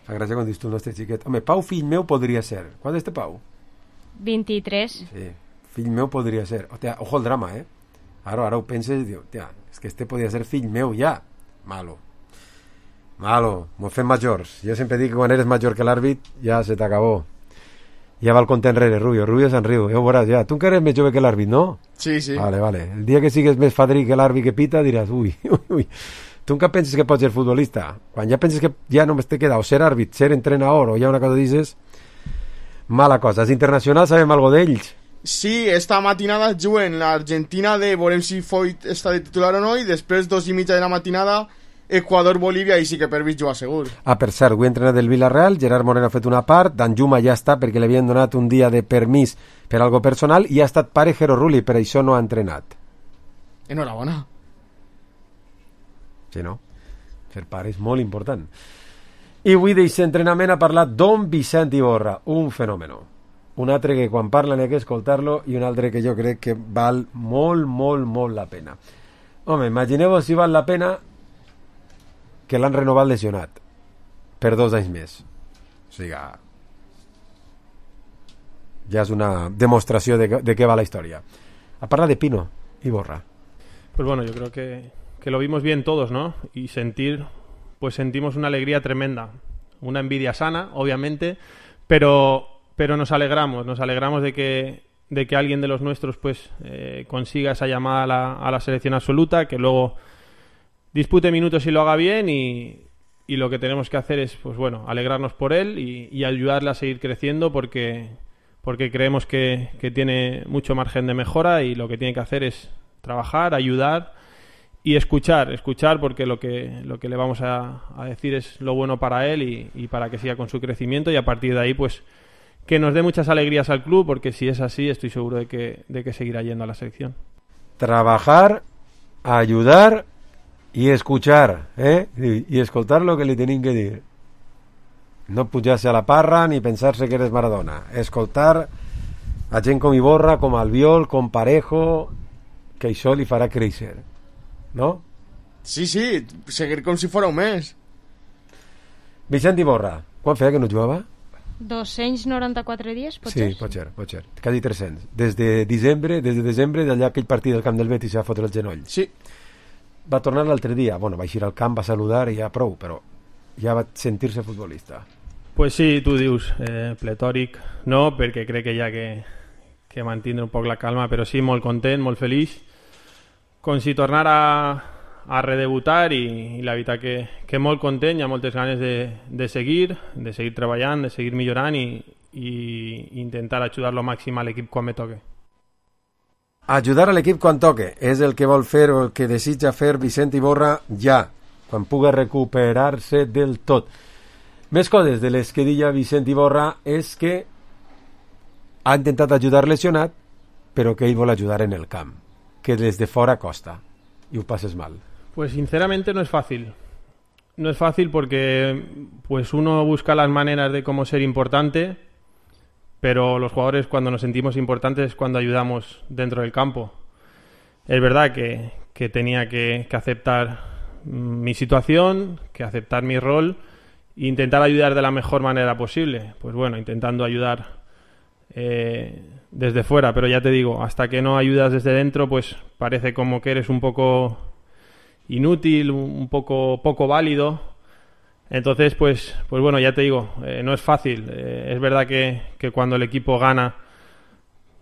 Fa gràcia quan dius tu el nostre xiquet. Home, Pau, fill meu, podria ser. Quant és Pau? vint-i-tres. Sí, fill meu podria ser. Hòstia, ojo el drama, eh? Ara, ara ho penses i dius, tia, és que este podria ser fill meu ja. Malo. Malo, mos fem majors. Jo sempre dic que quan eres major que l'àrbit, ja se t'acabó. Ja va el compte enrere, Rubio. Rubio se'n riu, ja ho veuràs, ja. Tu que eres més jove que l'àrbit, no? Sí, sí. Vale, vale. El dia que sigues més fadrí que l'àrbit que pita, diràs, ui, ui, ui. Tu encara penses que pots ser futbolista? Quan ja penses que ja només te queda o ser àrbit, ser entrenador o ja una cosa dices, mala cosa. Els internacionals sabem algo d'ells? Sí, esta matinada juguen l'Argentina de veurem si Foyt està de titular o no, i després dos i mitja de la matinada Equador-Bolívia, i sí que per mig juga segur. Ah, per cert, avui entrenat del Villarreal, Gerard Moreno ha fet una part, Danjuma ja està perquè li havien donat un dia de permís per algo personal i ha estat pare Jero Rulli, per això no ha entrenat. Enhorabona. Sí, no? Ser pare és molt important. I avui d'aquest entrenament ha parlat Don Vicent Iborra, un fenòmeno. Un altre que quan parla n'hi ha que escoltar-lo i un altre que jo crec que val molt, molt, molt la pena. Home, imagineu-vos si val la pena que l'han renovat lesionat per dos anys més. O sigui, ja és una demostració de, de què va la història. A parlar de Pino Iborra. Pues bueno, yo creo que, que lo vimos bien todos, ¿no? Y sentir, pues sentimos una alegría tremenda. Una envidia sana, obviamente, pero... pero nos alegramos, nos alegramos de que, de que alguien de los nuestros pues eh, consiga esa llamada a la, a la selección absoluta, que luego dispute minutos y lo haga bien, y, y lo que tenemos que hacer es pues bueno, alegrarnos por él y, y ayudarle a seguir creciendo, porque, porque creemos que, que tiene mucho margen de mejora, y lo que tiene que hacer es trabajar, ayudar y escuchar, escuchar porque lo que, lo que le vamos a, a decir es lo bueno para él y, y para que siga con su crecimiento, y a partir de ahí pues que nos dé muchas alegrías al club, porque si es así estoy seguro de que, de que seguirá yendo a la selección. Trabajar, ayudar y escuchar, ¿eh? Y, y escoltar lo que li tenim que dir. No pujar-se a la parra ni pensar-se que eres Maradona. Escoltar a gent com Iborra, com Albiol, com Parejo, que això li farà créixer, no? Sí, sí, seguir com si fora un mes. Vicent Iborra, quan feia que no jugava? dos-cents noranta-quatre dies, pot sí, ser? Sí, pot ser, pot ser. Quasi tres-cents. Des de desembre, des de desembre, d'allà aquell partit del camp del Betis va fotre el genoll. Sí. Va tornar l'altre dia. Bueno, va eixir al camp, va saludar i ja prou, però ja va sentir-se futbolista. Pues sí, tu dius, eh, pletòric, no, perquè crec que ja que, que mantindre un poc la calma, però sí, molt content, molt feliç, com si tornar a, a redebutar i, i la veritat que, que molt content, hi ha moltes ganes de, de seguir, de seguir treballant, de seguir millorant i, i intentar ajudar lo màxim a l'equip quan me toque. Ajudar a l'equip quan toque és el que vol fer o el que desitja fer Vicent Iborra ja, quan pugui recuperar-se del tot. Més coses de les que deia Vicent Iborra és que ha intentat ajudar lesionat, però que ell vol ajudar en el camp, que des de fora costa i ho passes mal. Pues sinceramente no es fácil. No es fácil porque pues uno busca las maneras de cómo ser importante, pero los jugadores cuando nos sentimos importantes es cuando ayudamos dentro del campo. Es verdad que, que tenía que, que aceptar mi situación, que aceptar mi rol e intentar ayudar de la mejor manera posible. Pues bueno, intentando ayudar eh, desde fuera, pero ya te digo, hasta que no ayudas desde dentro, pues parece como que eres un poco inútil, un poco poco válido. Entonces, pues, pues bueno, ya te digo, eh, no es fácil. Eh, es verdad que, que cuando el equipo gana,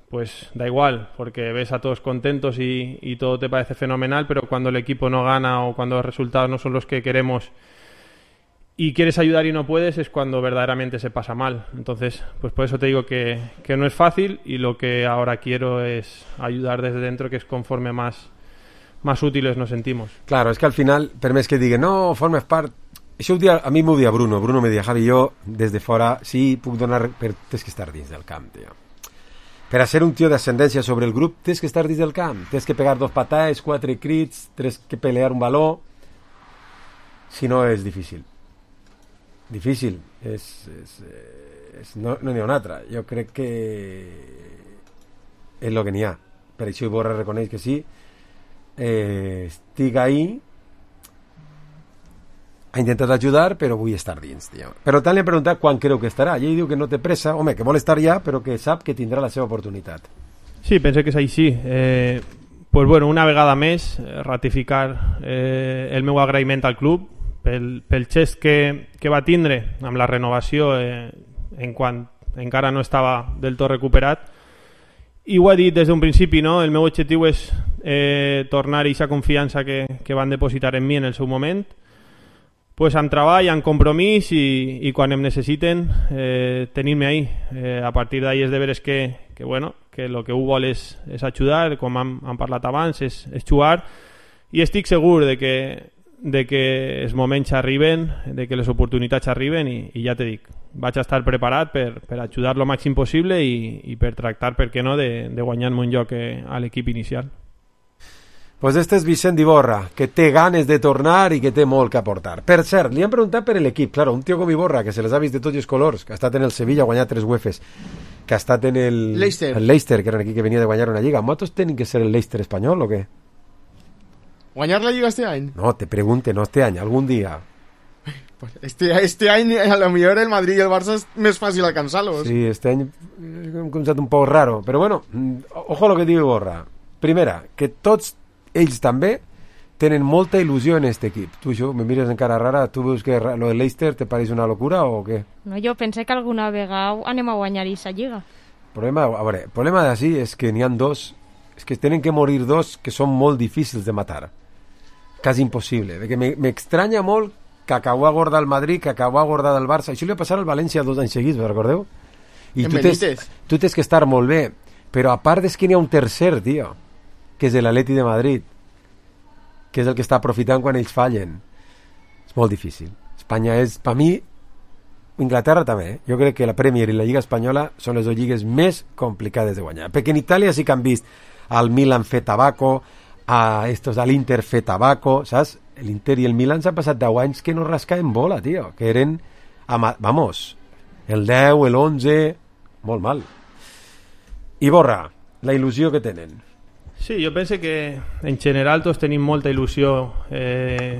pues da igual, porque ves a todos contentos y, y todo te parece fenomenal, pero cuando el equipo no gana o cuando los resultados no son los que queremos y quieres ayudar y no puedes, es cuando verdaderamente se pasa mal. Entonces, pues por eso te digo que, que no es fácil y lo que ahora quiero es ayudar desde dentro, que es conforme más, más útiles nos sentimos. Claro, es que al final, per més que digui, no, formes part... Això ho dia, a mi m'ho dia Bruno. Bruno me dia, Javi, jo, des de fora, sí, puc donar... Però tens que estar dins del camp, tio. Per a ser un tio d'ascendència sobre el grup, tens que estar dins del camp. Tens que pegar dos patades, quatre crits, tens que pelear un baló. Si no, és difícil. Difícil. És, és, és, no n'hi ha una altra. Jo crec que és el que n'hi ha. Per això Iborra reconeix que sí. Eh, estic ahí. Ha intentat ajudar, però vull estar dins, tio. Però tant li he preguntat quan creu que estarà. I ell diu que no té pressa. Home, que vol estar ja, però que sap que tindrà la seva oportunitat. Sí, pensé que és així. Eh, pues bueno, una vegada més, ratificar eh, el meu agraïment al club pel, pel gest que, que va tindre amb la renovació eh, en quan encara no estava del tot recuperat. I ho he dit des d'un principi, no? El meu objectiu és eh, tornar a aquesta confiança que, que van depositar en mi en el seu moment, pues amb treball, amb compromís i, i quan em necessiten eh, tenir-me ahí. Eh, a partir d'ahí és de veres que, que, bueno, que el que ho vol és, és ajudar, com hem, hem parlat abans, és, és jugar, i estic segur de que, de que els moments arriben, de que les oportunitats arriben i, i ja te dic, vaig estar preparat per, per ajudar lo màxim possible i, i per tractar, per què no, de, de guanyar-me un lloc eh, a l'equip inicial. Pues este és Vicent Iborra, que té ganes de tornar i que té molt que aportar. Per cert, li han preguntat per l'equip. Claro, un tio com Iborra, que se les ha vist de tots els colors, que ha estat en el Sevilla, ha guanyat tres UEFes, que ha estat en el Leicester, el Leicester, que era aquí que venia de guanyar una lliga. ¿Motos tenen que ser el Leicester espanyol o què? ¿Guanyar la lliga este any? No, te pregunte, no este any, algun dia. Pues este, este any a lo millor el Madrid i el Barça és més fàcil alcançar-los. Sí, este any és un concepte un poc raro. Però bueno, ojo a lo que diu Iborra. Primera, que tots ells també tenen molta il·lusió en aquest equip. Tu això, me mires encara rara, tu veus que lo de Leicester te pareix una locura o què? No, jo pensé que alguna vegada anem a guanyar aquesta lliga. Problema, a veure, el problema d'ací és que n'hi ha dos, és que tenen que morir dos que són molt difícils de matar. Quasi impossible. Perquè m'estranya molt que acabó a guardar el Madrid, que acabó a guardar el Barça. Això li va passar al València dos anys seguits, recordeu? I tu tens, tu tens que estar molt bé, però a part és que n'hi ha un tercer, tio, que és l'Atleti de Madrid, que és el que està aprofitant quan ells fallen. És molt difícil. Espanya és, per mi, Inglaterra també, eh? Jo crec que la Premier i la Lliga Espanyola són les dues lligues més complicades de guanyar. Perquè en Itàlia sí que han vist al Milan fer tabaco, a estos, a l'Inter fer tabaco, saps? L'Inter i el Milan s'han passat deu anys que no rascaven bola, tio, que eren, ama, vamos, el deu, l'onze, molt mal. Iborra, la il·lusió que tenen. Sí, jo penso que en general tots tenim molta il·lusió eh,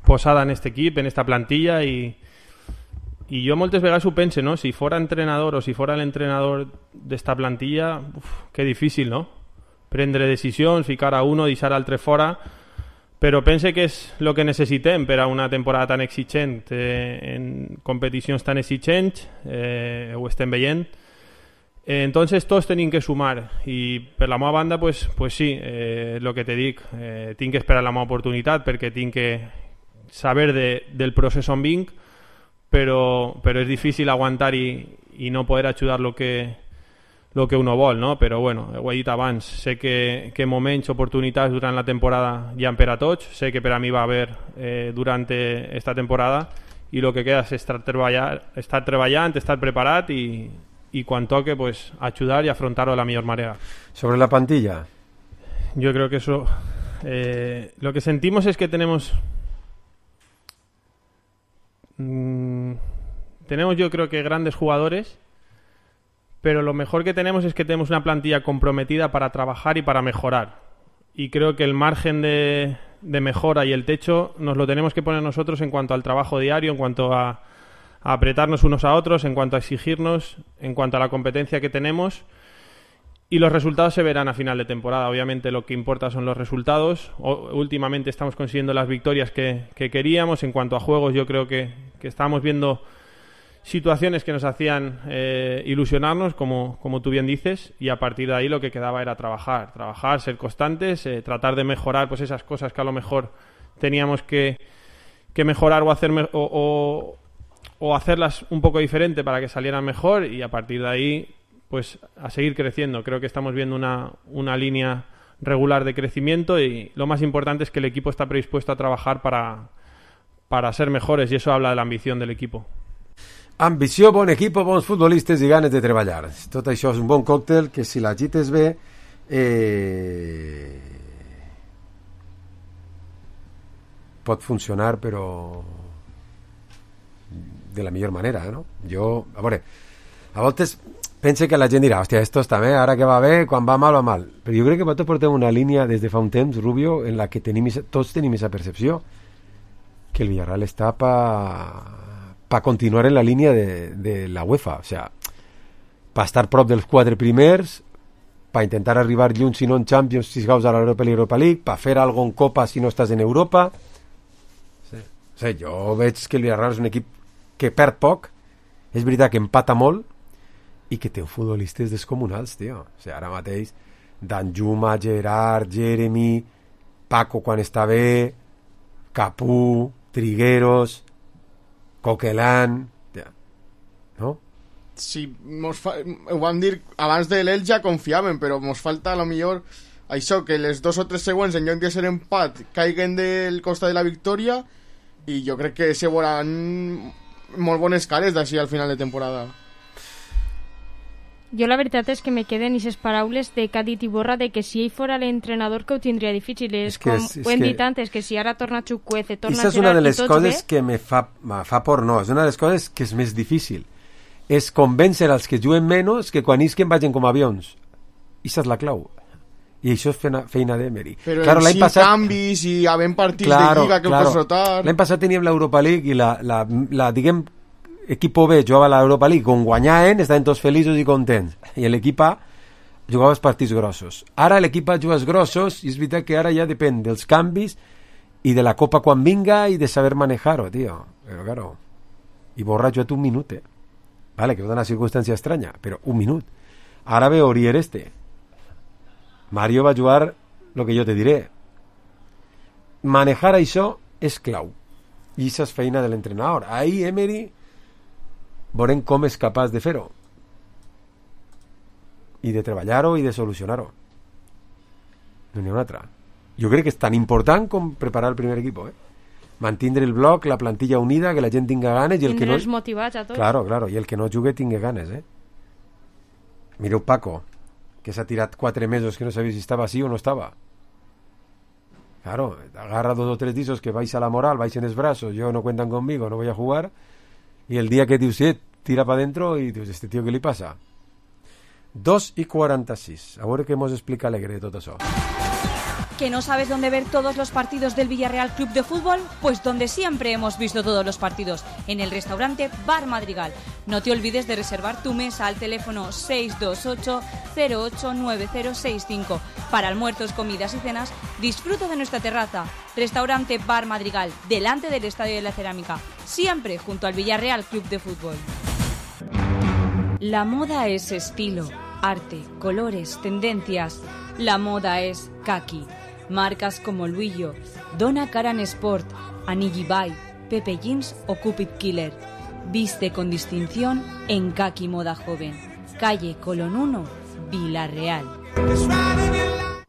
posada en aquest equip, en esta plantilla i, i jo moltes vegades ho pense, no? Si fora entrenador o si fora l'entrenador d'esta plantilla, uf, que difícil, no? Prendre decisions, ficar a uno, deixar altre fora, però pense que és el que necessitem per a una temporada tan exigent, eh, en competicions tan exigents, eh, ho estem veient. Eh, entonces tots tenim que sumar i per la meva banda pues, pues sí, eh, el que te dic, eh, tinc que esperar la meva oportunitat perquè tinc que saber de, del procés on vinc, però, però és difícil aguantar i, i no poder ajudar lo que, lo que uno vol, no? Però bueno, ho he dit abans, sé que, que moments, oportunitats durant la temporada hi ha per a tots, sé que per a mi va haver eh, durant esta temporada i el que queda és estar, treballar, estar treballant, estar preparat i y cuando toque pues ayudar y afrontarlo de la mejor manera. Sobre la plantilla, yo creo que eso eh, lo que sentimos es que tenemos mmm, tenemos yo creo que grandes jugadores, pero lo mejor que tenemos es que tenemos una plantilla comprometida para trabajar y para mejorar, y creo que el margen de, de mejora y el techo nos lo tenemos que poner nosotros en cuanto al trabajo diario, en cuanto a a apretarnos unos a otros, en cuanto a exigirnos, en cuanto a la competencia que tenemos, y los resultados se verán a final de temporada. Obviamente lo que importa son los resultados. O, últimamente estamos consiguiendo las victorias que, que queríamos. En cuanto a juegos, yo creo que, que estábamos viendo situaciones que nos hacían eh, ilusionarnos, como, como tú bien dices, y a partir de ahí lo que quedaba era trabajar, trabajar, ser constantes, eh, tratar de mejorar pues esas cosas que a lo mejor teníamos que, que mejorar o hacer me- o, o o hacerlas un poco diferente para que salieran mejor, y a partir de ahí pues a seguir creciendo. Creo que estamos viendo una, una línea regular de crecimiento, y lo más importante es que el equipo está predispuesto a trabajar para, para ser mejores, y eso habla de la ambición del equipo. Ambició, bon equip, bons futbolistes i ganes de treballar. Tot això és un bon còctel que, si l'agites bé, eh... pot funcionar, però de la millor manera, no? Jo, a veure, a voltes pense que la gent dirà, hòstia, esto està bé, ara que va bé, quan va mal, va mal. Però jo crec que vosaltres portem una línia des de fa un temps, Rubio, en la que tenim, tots tenim aquesta percepció, que el Villarreal està pa, pa continuar en la línia de, de la UEFA, o sea, pa estar prop dels quatre primers, pa intentar arribar lluny, si no en Champions, si gaus a l'Europa i l'Europa League, pa fer algo en Copa si no estàs en Europa. Sí. O sigui, jo veig que el Villarreal és un equip que perd poc, és veritat que empata molt i que té futbolistes descomunals, tio. O sigui, ara mateix Danjuma, Gerard, Jeremy, Paco quan està bé, Capú, Trigueros, Coquelin, no? Sí, mos fa... ho vam dir abans de l'Elx, ja confiàvem, però mos falta a lo millor això, que les dos o tres següents en lloc de ser empat caiguen del costat de la victòria, i jo crec que se veuran molt bones cares d'així al final de temporada. Jo la veritat és que me queden aquestes paraules de que ha dit Iborra, de que si ell fora l'entrenador que ho tindria difícil. És, és com és, és ho hem que... dit antes, que si ara torna Chukwueze, torna Gerard, és una de les coses bé... que me fa, me fa por, no, és una de les coses que és més difícil, és convèncer als que juguen menys que quan isquen vagin com avions. Ixa és la clau, i això és feina, feina d'Emery. Però claro, en cinc passat... canvis i havent partits claro, de Lliga que claro. Ho pots rotar. L'any passat teníem l'Europa League i la, la, la diguem, equip B jugava a l'Europa League, com guanyaven, estaven tots feliços i contents, i l'equip A jugava els partits grossos. Ara l'equip A juga els grossos, i és veritat que ara ja depèn dels canvis i de la Copa quan vinga i de saber manejar-ho, tio. Però claro, i Borra ha jugat un minut, eh? Vale, que és una circumstància estranya, però un minut. Ara ve Orier este. Mario va jugar lo que jo te diré. Manejar això és clau, i això és feina de l'entrenador. Ahí Emery veurem com és capaç de fer-ho i de treballar-ho i de solucionar-ho. No n'hi ha una altra. Jo crec que és tan important com preparar el primer equip, eh? Mantindre el bloc, la plantilla unida, que la gent tinga ganes, i el que no... Tindre'ls motivats a tots. Claro, claro, i el que no jugue tingui ganes, eh? Mireu Paco, que s'ha tirat quatre mesos que no sabia si estava així o no estava. Claro, agarra dos o tres disos que baixa la moral, baixen els brazos, yo no cuentan conmigo, no voy a jugar, y el día que dius, sí, tira para adentro y dius, este tío, ¿qué le pasa? dos y quaranta-sis. A veure què mos explica Alegre de tot això. ¿Que no sabes dónde ver todos los partidos del Villarreal Club de Fútbol? Pues donde siempre hemos visto todos los partidos, en el restaurante Bar Madrigal. No te olvides de reservar tu mesa al teléfono seis dos ocho cero ocho nueve cero seis cinco. Para almuerzos, comidas y cenas, disfruta de nuestra terraza. Restaurante Bar Madrigal, delante del Estadio de la Cerámica. Siempre junto al Villarreal Club de Fútbol. La moda es estilo, arte, colores, tendencias. La moda es kaki. Marcas como Luillo, Donna Karan Sport, Anigi Bai, Pepe Jeans o Cupid Killer. Viste con distinción en Kaki Moda Joven. Calle Colón uno, Vila-real.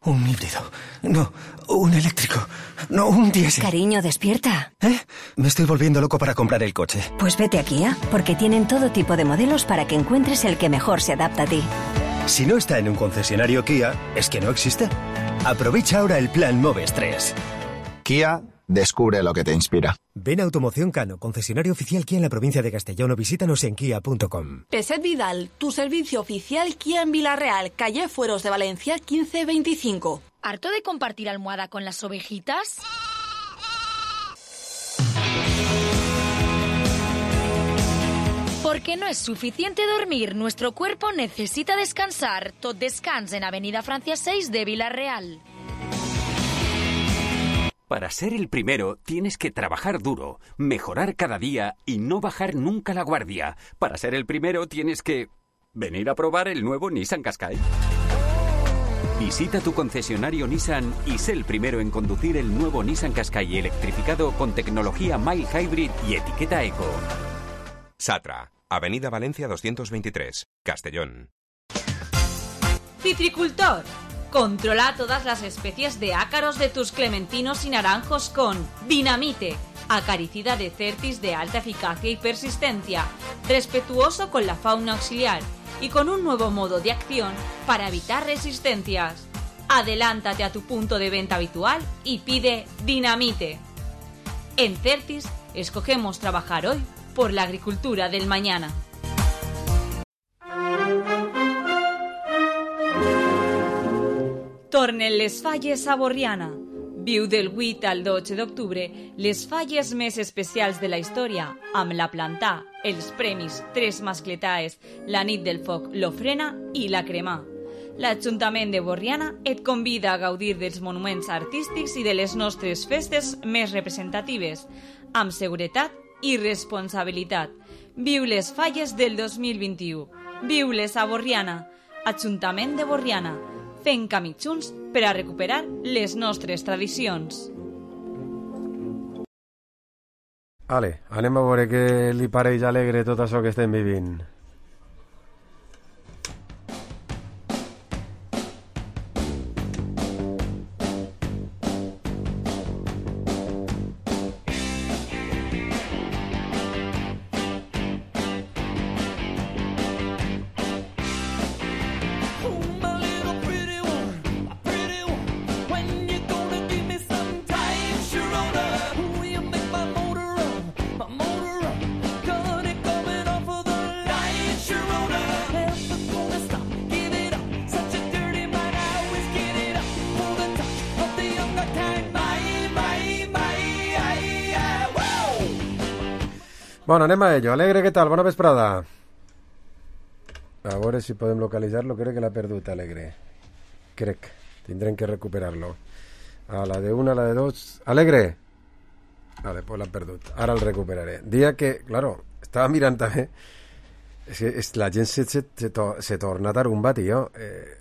Un híbrido. No, un eléctrico. No, un diésel. Cariño, despierta. ¿Eh? Me estoy volviendo loco para comprar el coche. Pues vete a Kia, porque tienen todo tipo de modelos para que encuentres el que mejor se adapta a ti. Si no está en un concesionario Kia, es que no existe. Aprovecha ahora el plan Moves tres. Kia, descubre lo que te inspira. Ven a Automoción Cano, concesionario oficial Kia en la provincia de Castellón, o visítanos en kia punto com. Peset Vidal, tu servicio oficial Kia en Vila-real, calle Fueros de Valencia quince veinticinco. ¿Harto de compartir almohada con las ovejitas? Porque no es suficiente dormir, nuestro cuerpo necesita descansar. Tot Descans en Avenida Francia seis de Vila-real. Para ser el primero tienes que trabajar duro, mejorar cada día y no bajar nunca la guardia. Para ser el primero tienes que venir a probar el nuevo Nissan Qashqai. Visita tu concesionario Nissan y sé el primero en conducir el nuevo Nissan Qashqai electrificado con tecnología Mild Hybrid y etiqueta Eco. Satra, Avenida Valencia doscientos veintitrés, Castellón. Citricultor. Controla todas las especies de ácaros de tus clementinos y naranjos con Dinamite, acaricida de Certis de alta eficacia y persistencia, respetuoso con la fauna auxiliar y con un nuevo modo de acción para evitar resistencias. Adelántate a tu punto de venta habitual y pide Dinamite. En Certis escogemos trabajar hoy por la agricultura del mañana. Tornen les falles a Borriana. Viu del vuit al dotze d'octubre les falles més especials de la història amb la plantà, els premis Tres Mascletaes, la nit del foc, l'ofrena i la cremà. L'Ajuntament de Borriana et convida a gaudir dels monuments artístics i de les nostres festes més representatives, amb seguretat i responsabilitat. Viu les falles del dos mil vint-i-u. Viu-les a Borriana. Ajuntament de Borriana. Fent camí junts per a recuperar les nostres tradicions. Ale, anem a veure què li pareix alegre tot això que estem vivint. Bueno, anem a ello. Alegre, què tal? Bona vesprada. A veure si podem localitzar-lo. Crec que l'ha perdut, Alegre. Crec. Tindrem que recuperar-lo. A la de una, a la de dos... Alegre! Vale, pues l'ha perdut. Ara el recuperaré. Dia que, claro, estava mirant també... És que és, la gent se, se, se, to, se torna tarumba, tio. Eh,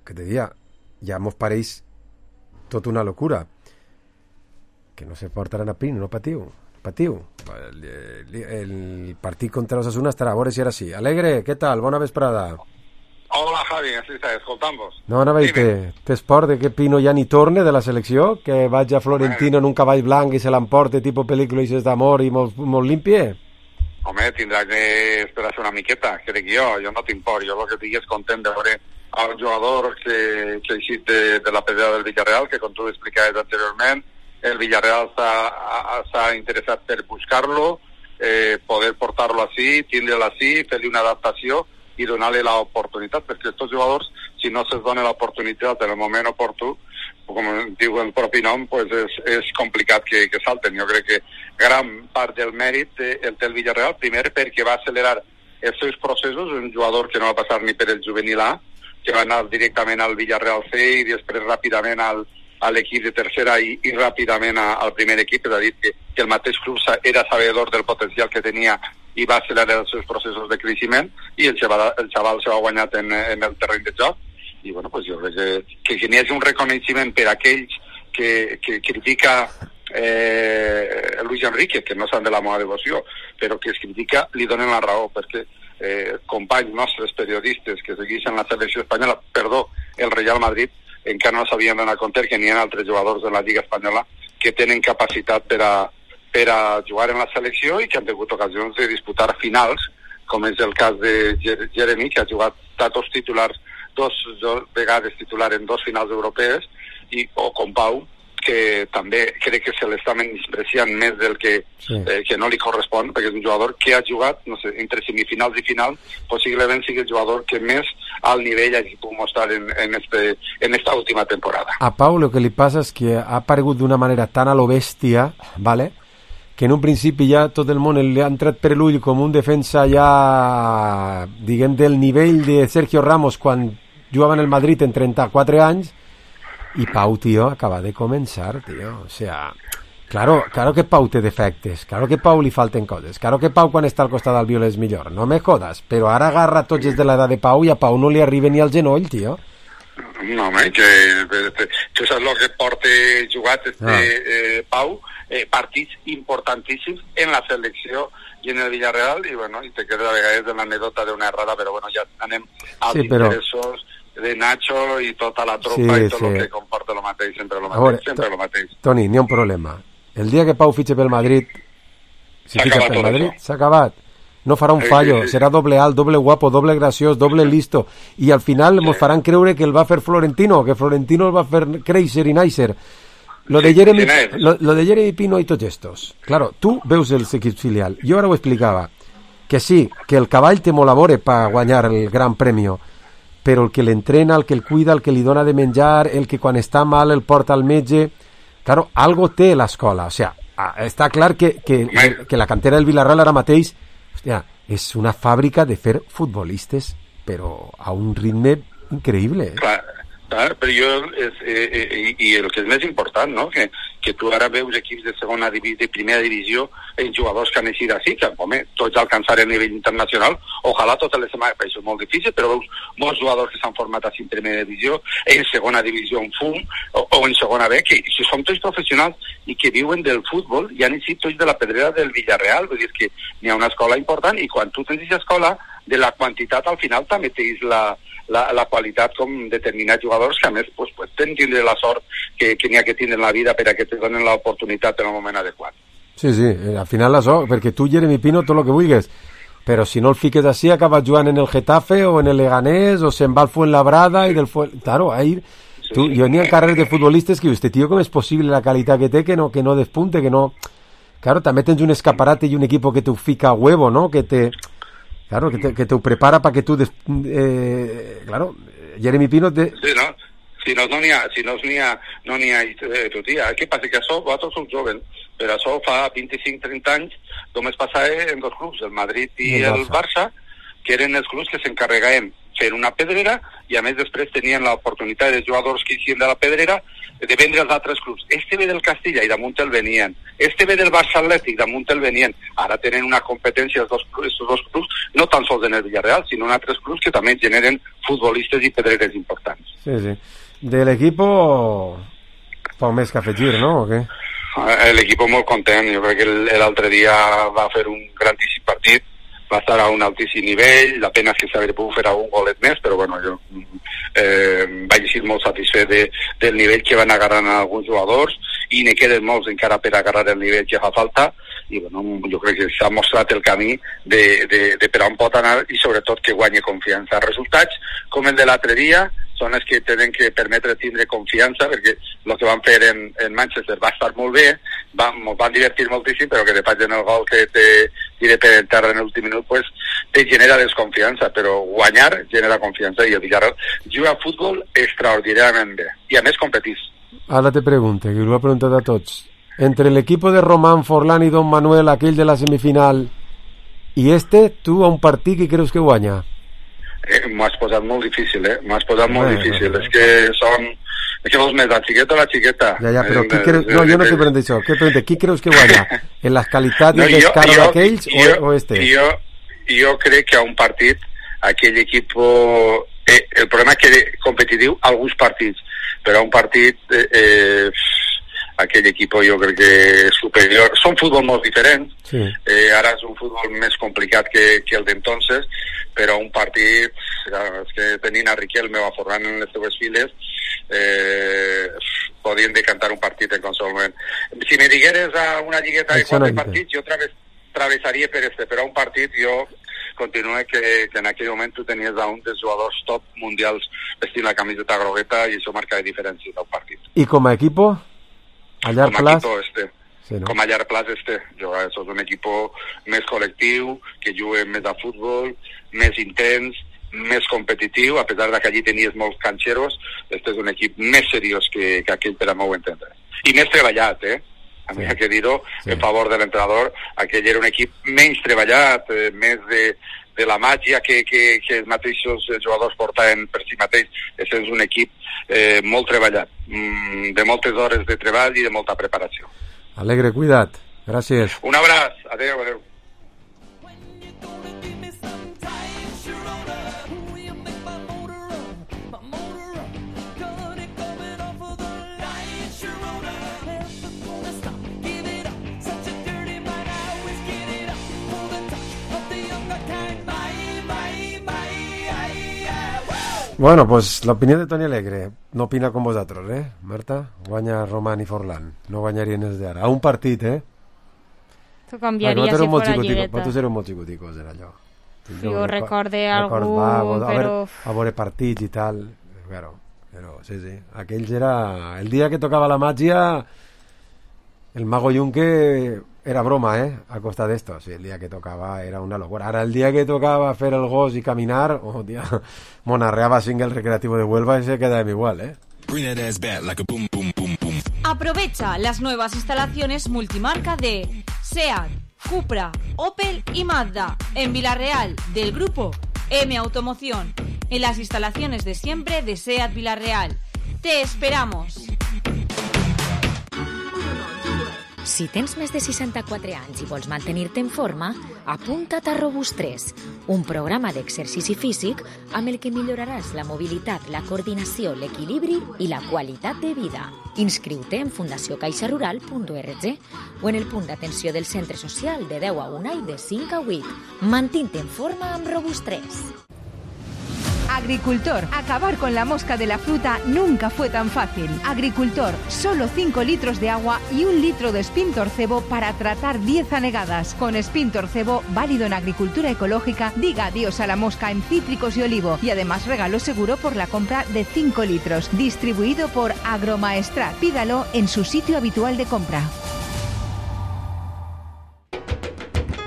que te dia, ja mos pareix tot una locura. Que no se portaran a pin, no patiu. Patiu. El, el, el partit contra l'Osasuna estarà, a veure si era així. Alegre, què tal? Bona vesprada. Hola, Javi, així està, escoltant-vos. No, anava a dir que t'esport de que Pino ja ni torne de la selecció, que vaig a Florentino en un cavall blanc i se l'emporte tipus pel·lícula i d'amor i molt, molt limpie. Home, tindrà que esperar-se una miqueta, crec jo, jo no tinc por, jo el que estic és content de veure el jugador que, que ha eixit de, de la pedra del Villarreal, que com tu explicaves anteriorment, el Villarreal s'ha interessat per buscar-lo, eh, poder portar-lo així, tindre-lo així, fer-li una adaptació i donar-li l'oportunitat, perquè aquests jugadors, si no se'ls dona l'oportunitat en el moment oportú, com diu el propi nom, pues és, és complicat que, que salten. Jo crec que gran part del mèrit el té el Villarreal, primer perquè va accelerar els seus processos, un jugador que no va passar ni per el juvenil A, que va anar directament al Villarreal C i després ràpidament al a l'equip de tercera i, i ràpidament a, al primer equip, és a dir, que, que el mateix club era sabedor del potencial que tenia i va accelerar els seus processos de creixement i el xaval, el xaval s'ha guanyat en, en el terreny de joc i bueno, pues jo crec que, que, que n'hi hagi un reconeixement per a aquells que, que critica eh, Luis Enrique, que no s'han de la meva devoció, però que es critica, li donen la raó, perquè eh, companys nostres periodistes que segueixen la selecció espanyola, perdó, el Real Madrid, encara no s'havien d'anar a compte que n'hi ha altres jugadors de la Lliga Espanyola que tenen capacitat per a, per a jugar en la selecció i que han tingut ocasions de disputar finals, com és el cas de Jeremy, que ha jugat datos titulars dos, dos vegades titular en dos finals europees, i, o com Pau, que també crec que se l'està menyspreciant més del que, sí. eh, que no li correspon, perquè és un jugador que ha jugat, no sé, entre semifinals i final, possiblement sigui el jugador que més al nivell hagi pogut mostrar en, en, este, en esta última temporada. A Pau lo que li passa és que ha aparegut d'una manera tan a lo bèstia, ¿vale?, que en un principi ja tot el món li ha entrat per l'ull com un defensa ja, diguem, del nivell de Sergio Ramos quan jugava en el Madrid en trenta-quatre anys, i Pau, tío, acaba de començar, tío, o sea, claro, claro que Pau té defectes, claro que Pau li falten coses, claro que Pau quan està al costat del Viola és millor, no me jodas, però ara agarra tots els de l'edat de Pau i a Pau no li arriba ni al genoll, tío. No, home, que tu saps el que porta jugat este ah. eh, Pau, eh, partits importantíssims en la selecció i en el Villarreal, i bueno, i te queda a vegades de l'anèdota d'una errada, però bueno, ja anem als sí, però... interessos de Nacho i tota la tropa sí, i tot sí. el que comporta lo mateix, sempre lo mateix, veure, sempre lo mateix. Toni, n'hi ha un problema. El dia que Pau fitxe pel Madrid, si fitxa pel Madrid, s'ha acabat. No farà un sí, fallo, sí, sí. serà doble alt, doble guapo, doble graciós, doble listo, i al final sí. mos faran creure que el va fer Florentino, que Florentino el va fer créixer i nàixer. Lo de Jeremy, lo, lo de Jeremy Pino i tots estos. Claro, tu veus els equips filial. Jo ara ho explicava, que sí, que el cavall té molt a veure per guanyar el gran premio, però el que l'entrena, el que el cuida, el que li dona de menjar, el que quan està mal el porta al metge, claro, algo té l'escola, o sea, està clar que, que, que la cantera del Villarreal ara mateix, hòstia, és una fàbrica de fer futbolistes, però a un ritme increïble. Eh? Clar, clar, però jo, és, eh, eh, i el que és més important, no?, que, que tu ara veus equips de segona divisió, de primera divisió, en jugadors que han eixit així, que, home, tots alcançar a nivell internacional, ojalà totes les setmanes, per això és molt difícil, però veus molts jugadors que s'han format així en primera divisió, en segona divisió en F U M, o, o en segona B, que si són tots professionals i que viuen del futbol, i han eixit tots de la pedrera del Villarreal, vull dir que n'hi ha una escola important, i quan tu tens aquesta escola, de la quantitat al final també tens la, la, la qualitat com determinats jugadors que a més pues, pues, tenen tindre la sort que, que n'hi ha que tindre en la vida per a que te donen l'oportunitat en el moment adequat. Sí, sí, al final la sort, perquè tu, Jeremy Pino, tot el que vulguis, però si no el fiques així acabas jugant en el Getafe o en el Leganés o se'n va al Fuenlabrada i del Fuen... Claro, ahí... Sí, tu, sí. Jo n'hi ha carreres de futbolistes que dius, este tío, com és possible la qualitat que té que no, que no despunte, que no... Claro, també tens un escaparate i un equipo que te fica a huevo, ¿no? Que te... Claro, que te, que te prepara para que tú... Des... Eh, claro, Jeremy Pino... Te... Sí, no? Si no n'hi ha, si no n'hi ha, no n'hi ha eh, tu dia. Què passa? Que això, vosaltres sou jovens, però això fa vint-i-cinc trenta anys només passava en dos clubs, el Madrid i, I el Barça, que eren els clubs que s'encarregaven fer una pedrera i a més després tenien l'oportunitat de jugadors que eixien de la pedrera de vendre als altres clubs. Este ve del Castilla i damunt el venien. Este ve del Barça Atlètic, damunt el venien. Ara tenen una competència els dos, els dos clubs, no tan sols en el Villarreal, sinó en altres clubs que també generen futbolistes i pedreres importants. Sí, sí. De l'equipo, poc més que afegir, no? O què? L'equipo molt content. Jo crec que l'altre dia va fer un grandíssim partit, va estar a un altíssim nivell, la pena és que s'hauria pogut fer un golet més, però bueno, jo eh, vaig ser molt satisfet de, del nivell que van agarrant alguns jugadors i n'hi queden molts encara per agarrar el nivell que fa falta i bueno, jo crec que s'ha mostrat el camí de, de, de per on pot anar i sobretot que guanyi confiança. Resultats com el de l'altre dia són els que tenen que permetre tindre confiança perquè el que van fer en, en Manchester va estar molt bé, va, ens van divertir moltíssim, però que de pas en el gol que te tire per terra en l'últim minut pues, te genera desconfiança, però guanyar genera confiança i el Villarreal juga a futbol extraordinàriament bé i a més competís. Ara te pregunto, que ho he preguntat a tots, entre l'equip de Román, Forlán i Don Manuel, aquell de la semifinal, i este, tu a un partit que creus que guanya? Eh, m'ho has posat molt difícil, eh? M'ho has posat molt eh, difícil. Eh, és que són, Què vols més, la xiqueta o la xiqueta? Ja, ja, però Eh, qui eh, creus... No, eh, jo no eh, t'he preguntat això. Què pregunta? Qui creus que guanya? En les qualitats No, i jo- les cares jo- d'aquells o, jo- o este? Jo, jo crec que a un partit, aquell equip... Eh, el problema és que competitiu alguns partits, però a un partit... Eh, eh, aquell equip jo crec que és superior. Són futbol molt diferents, Sí. eh, ara és un futbol més complicat que, que el d'entonces, però un partit, clar, és que tenint a Riquelme o a Forlán en les seues files, eh, podien decantar un partit en qualsevol moment. Si me digueres a una lligueta de Això no quatre entenc. partits, jo traves, travessaria per este, però a un partit jo continue que, que en aquell moment tu tenies a un dels jugadors top mundials vestint la camiseta grogueta i això marca la diferència d'un partit. I com a equipo? A llarg Com a plaç? equipo este. Sí, no? Com a llarg plaç este. Jo, això és un equip més col·lectiu, que juga més a futbol, més intens, més competitiu, a pesar de que allí tenies molts canxeros, este és un equip més seriós que, que aquell per a meu entendre. I més treballat, eh? A mi sí. Hay que dir-ho sí. En favor de l'entrenador, aquell era un equip menys treballat, eh, més de, de la màgia que, que, que els mateixos jugadors portaven per si mateix. Aquest és un equip eh, molt treballat, mm, de moltes hores de treball i de molta preparació. Alegre, cuida't. Gràcies. Un abraç. Adéu, adéu. Bueno, pues l'opinió de Toni Alegre no opina com vosaltres, eh, Marta? Guanya Roman i Forlán. No guanyarien els d'ara. A un partit, eh? Tu canviaria si fora lligueta. Vosaltres éreu molt xicoticos, era allò. Jo recorde algú, a però... A veure partits i tal. Però, però, sí, sí. Aquells era... El dia que tocava la màgia, el mago Yunque era broma, eh? A costa d'esto. Sí, el dia que tocava era una locura. Ara, el dia que tocava fer el gos i caminar, oh, tia, monarreaba sin el recreativo de Huelva y se queda igual, eh? Aprovecha las nuevas instalaciones multimarca de SEAT, Cupra, Opel y Mazda en Villarreal del grupo M Automoción, en las instalaciones de siempre de SEAT Villarreal. ¡Te esperamos! Si tens més de seixanta-quatre anys i vols mantenir-te en forma, apunta't a Robust tres, un programa d'exercici físic amb el que milloraràs la mobilitat, la coordinació, l'equilibri i la qualitat de vida. Inscriu-te en fundació caixa rural punt org o en el punt d'atenció del centre social de deu a una i de cinc a vuit. Mantén-te en forma amb Robust tres. Agricultor, acabar con la mosca de la fruta nunca fue tan fácil. Agricultor, solo cinco litros de agua y un litro de Spintorcebo para tratar diez anegadas. Con Spintorcebo, válido en agricultura ecológica, diga adiós a la mosca en cítricos y olivo. Y además regalo seguro por la compra de cinco litros. Distribuido por Agromaestrat. Pídalo en su sitio habitual de compra.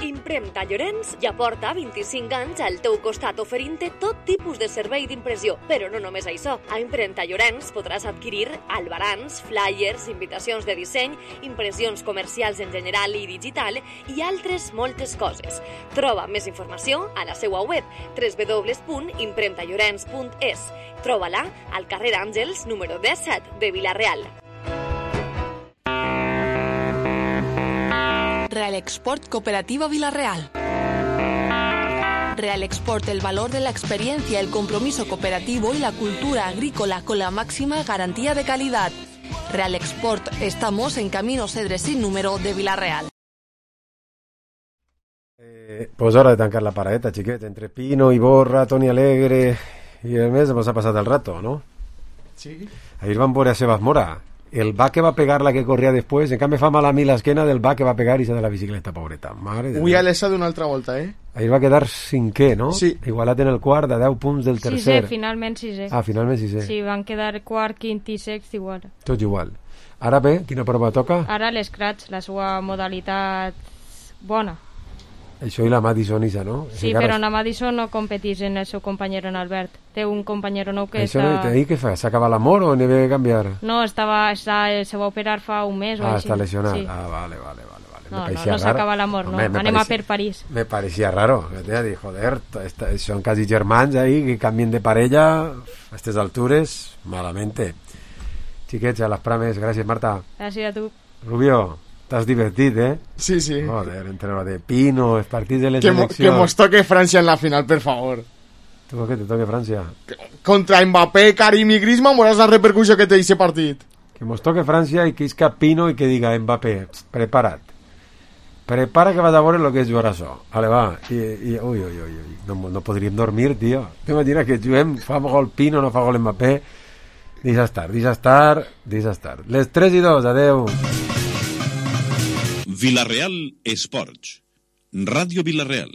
Impremta Llorenç ja porta vint-i-cinc anys al teu costat oferint-te tot tipus de servei d'impressió. Però no només això. A Impremta Llorenç podràs adquirir albarans, flyers, invitacions de disseny, impressions comercials en general i digital i altres moltes coses. Troba més informació a la seva web w w w punt impremta llorenç punt es. Troba-la al carrer Àngels número disset de Vila-real. Real Export Cooperativa Villarreal. Real Export, el valor de la experiencia, el compromiso cooperativo y la cultura agrícola con la máxima garantía de calidad. Real Export, estamos en Camino Cedre sin número de Villarreal. Eh, pues hora de tancar la paradeta, chiquete. Entre Pino, Iborra, Toni Alegre y el mes hemos pasado el rato, ¿no? Sí. Ahí van por a Sebas Mora. El va que va a pegar la que corría después, en cambio fa mal a mí la esquena del va que va a pegar y se da la bicicleta, pobreta. Mare de Ui, l'essa d'una altra volta, eh? Ahí va a quedar sin què, no? Sí. Igualat en el quart de deu punts del tercer. Sisè, finalment sisè. Ah, finalment sisè. Sí, van quedar quart, quint i sext igual. Tot igual. Ara bé, quina prova toca? Ara l'escratch, la seva modalitat bona. Això i la Madison Isa, no? Sí, però en Madison no competís en el seu companyero en Albert. Té un companyero nou que això està... Això no, què fa? S'acaba l'amor o n'hi ve a canviar? No, estava, està, se va operar fa un mes o ah, així. està lesionat. Sí. Ah, vale, vale, vale. vale. No, no, no s'acaba l'amor, no. Anem parecía, a per París. Me parecía raro. Me dijo, joder, esta, son casi germans ahí que cambien de parella a estas alturas, malamente. xiquets, a les prames. Gràcies, Marta. Gràcies a tu. Rubio, t'has divertit, eh? Sí, sí. Joder, entre lo de Pino, els partits de les que eleccions... Mo, que mos toque Francia en la final, per favor. Tu per què te toque Francia? Contra Mbappé, Karim i Griezmann, veuràs la repercussió que té aquest partit. Que mos toque Francia i que isca Pino i que diga Mbappé, prepara't. Prepara que vas a veure el que és jugar això. Vale, va. I, i, ui, ui, ui, ui. No, no podríem dormir, tio. T'imagines que juguem, fa gol Pino, no fa gol Mbappé. Deixa estar, deixa estar, deixa estar. Les tres i dos, adeu. Villarreal Esports. Ràdio Villarreal.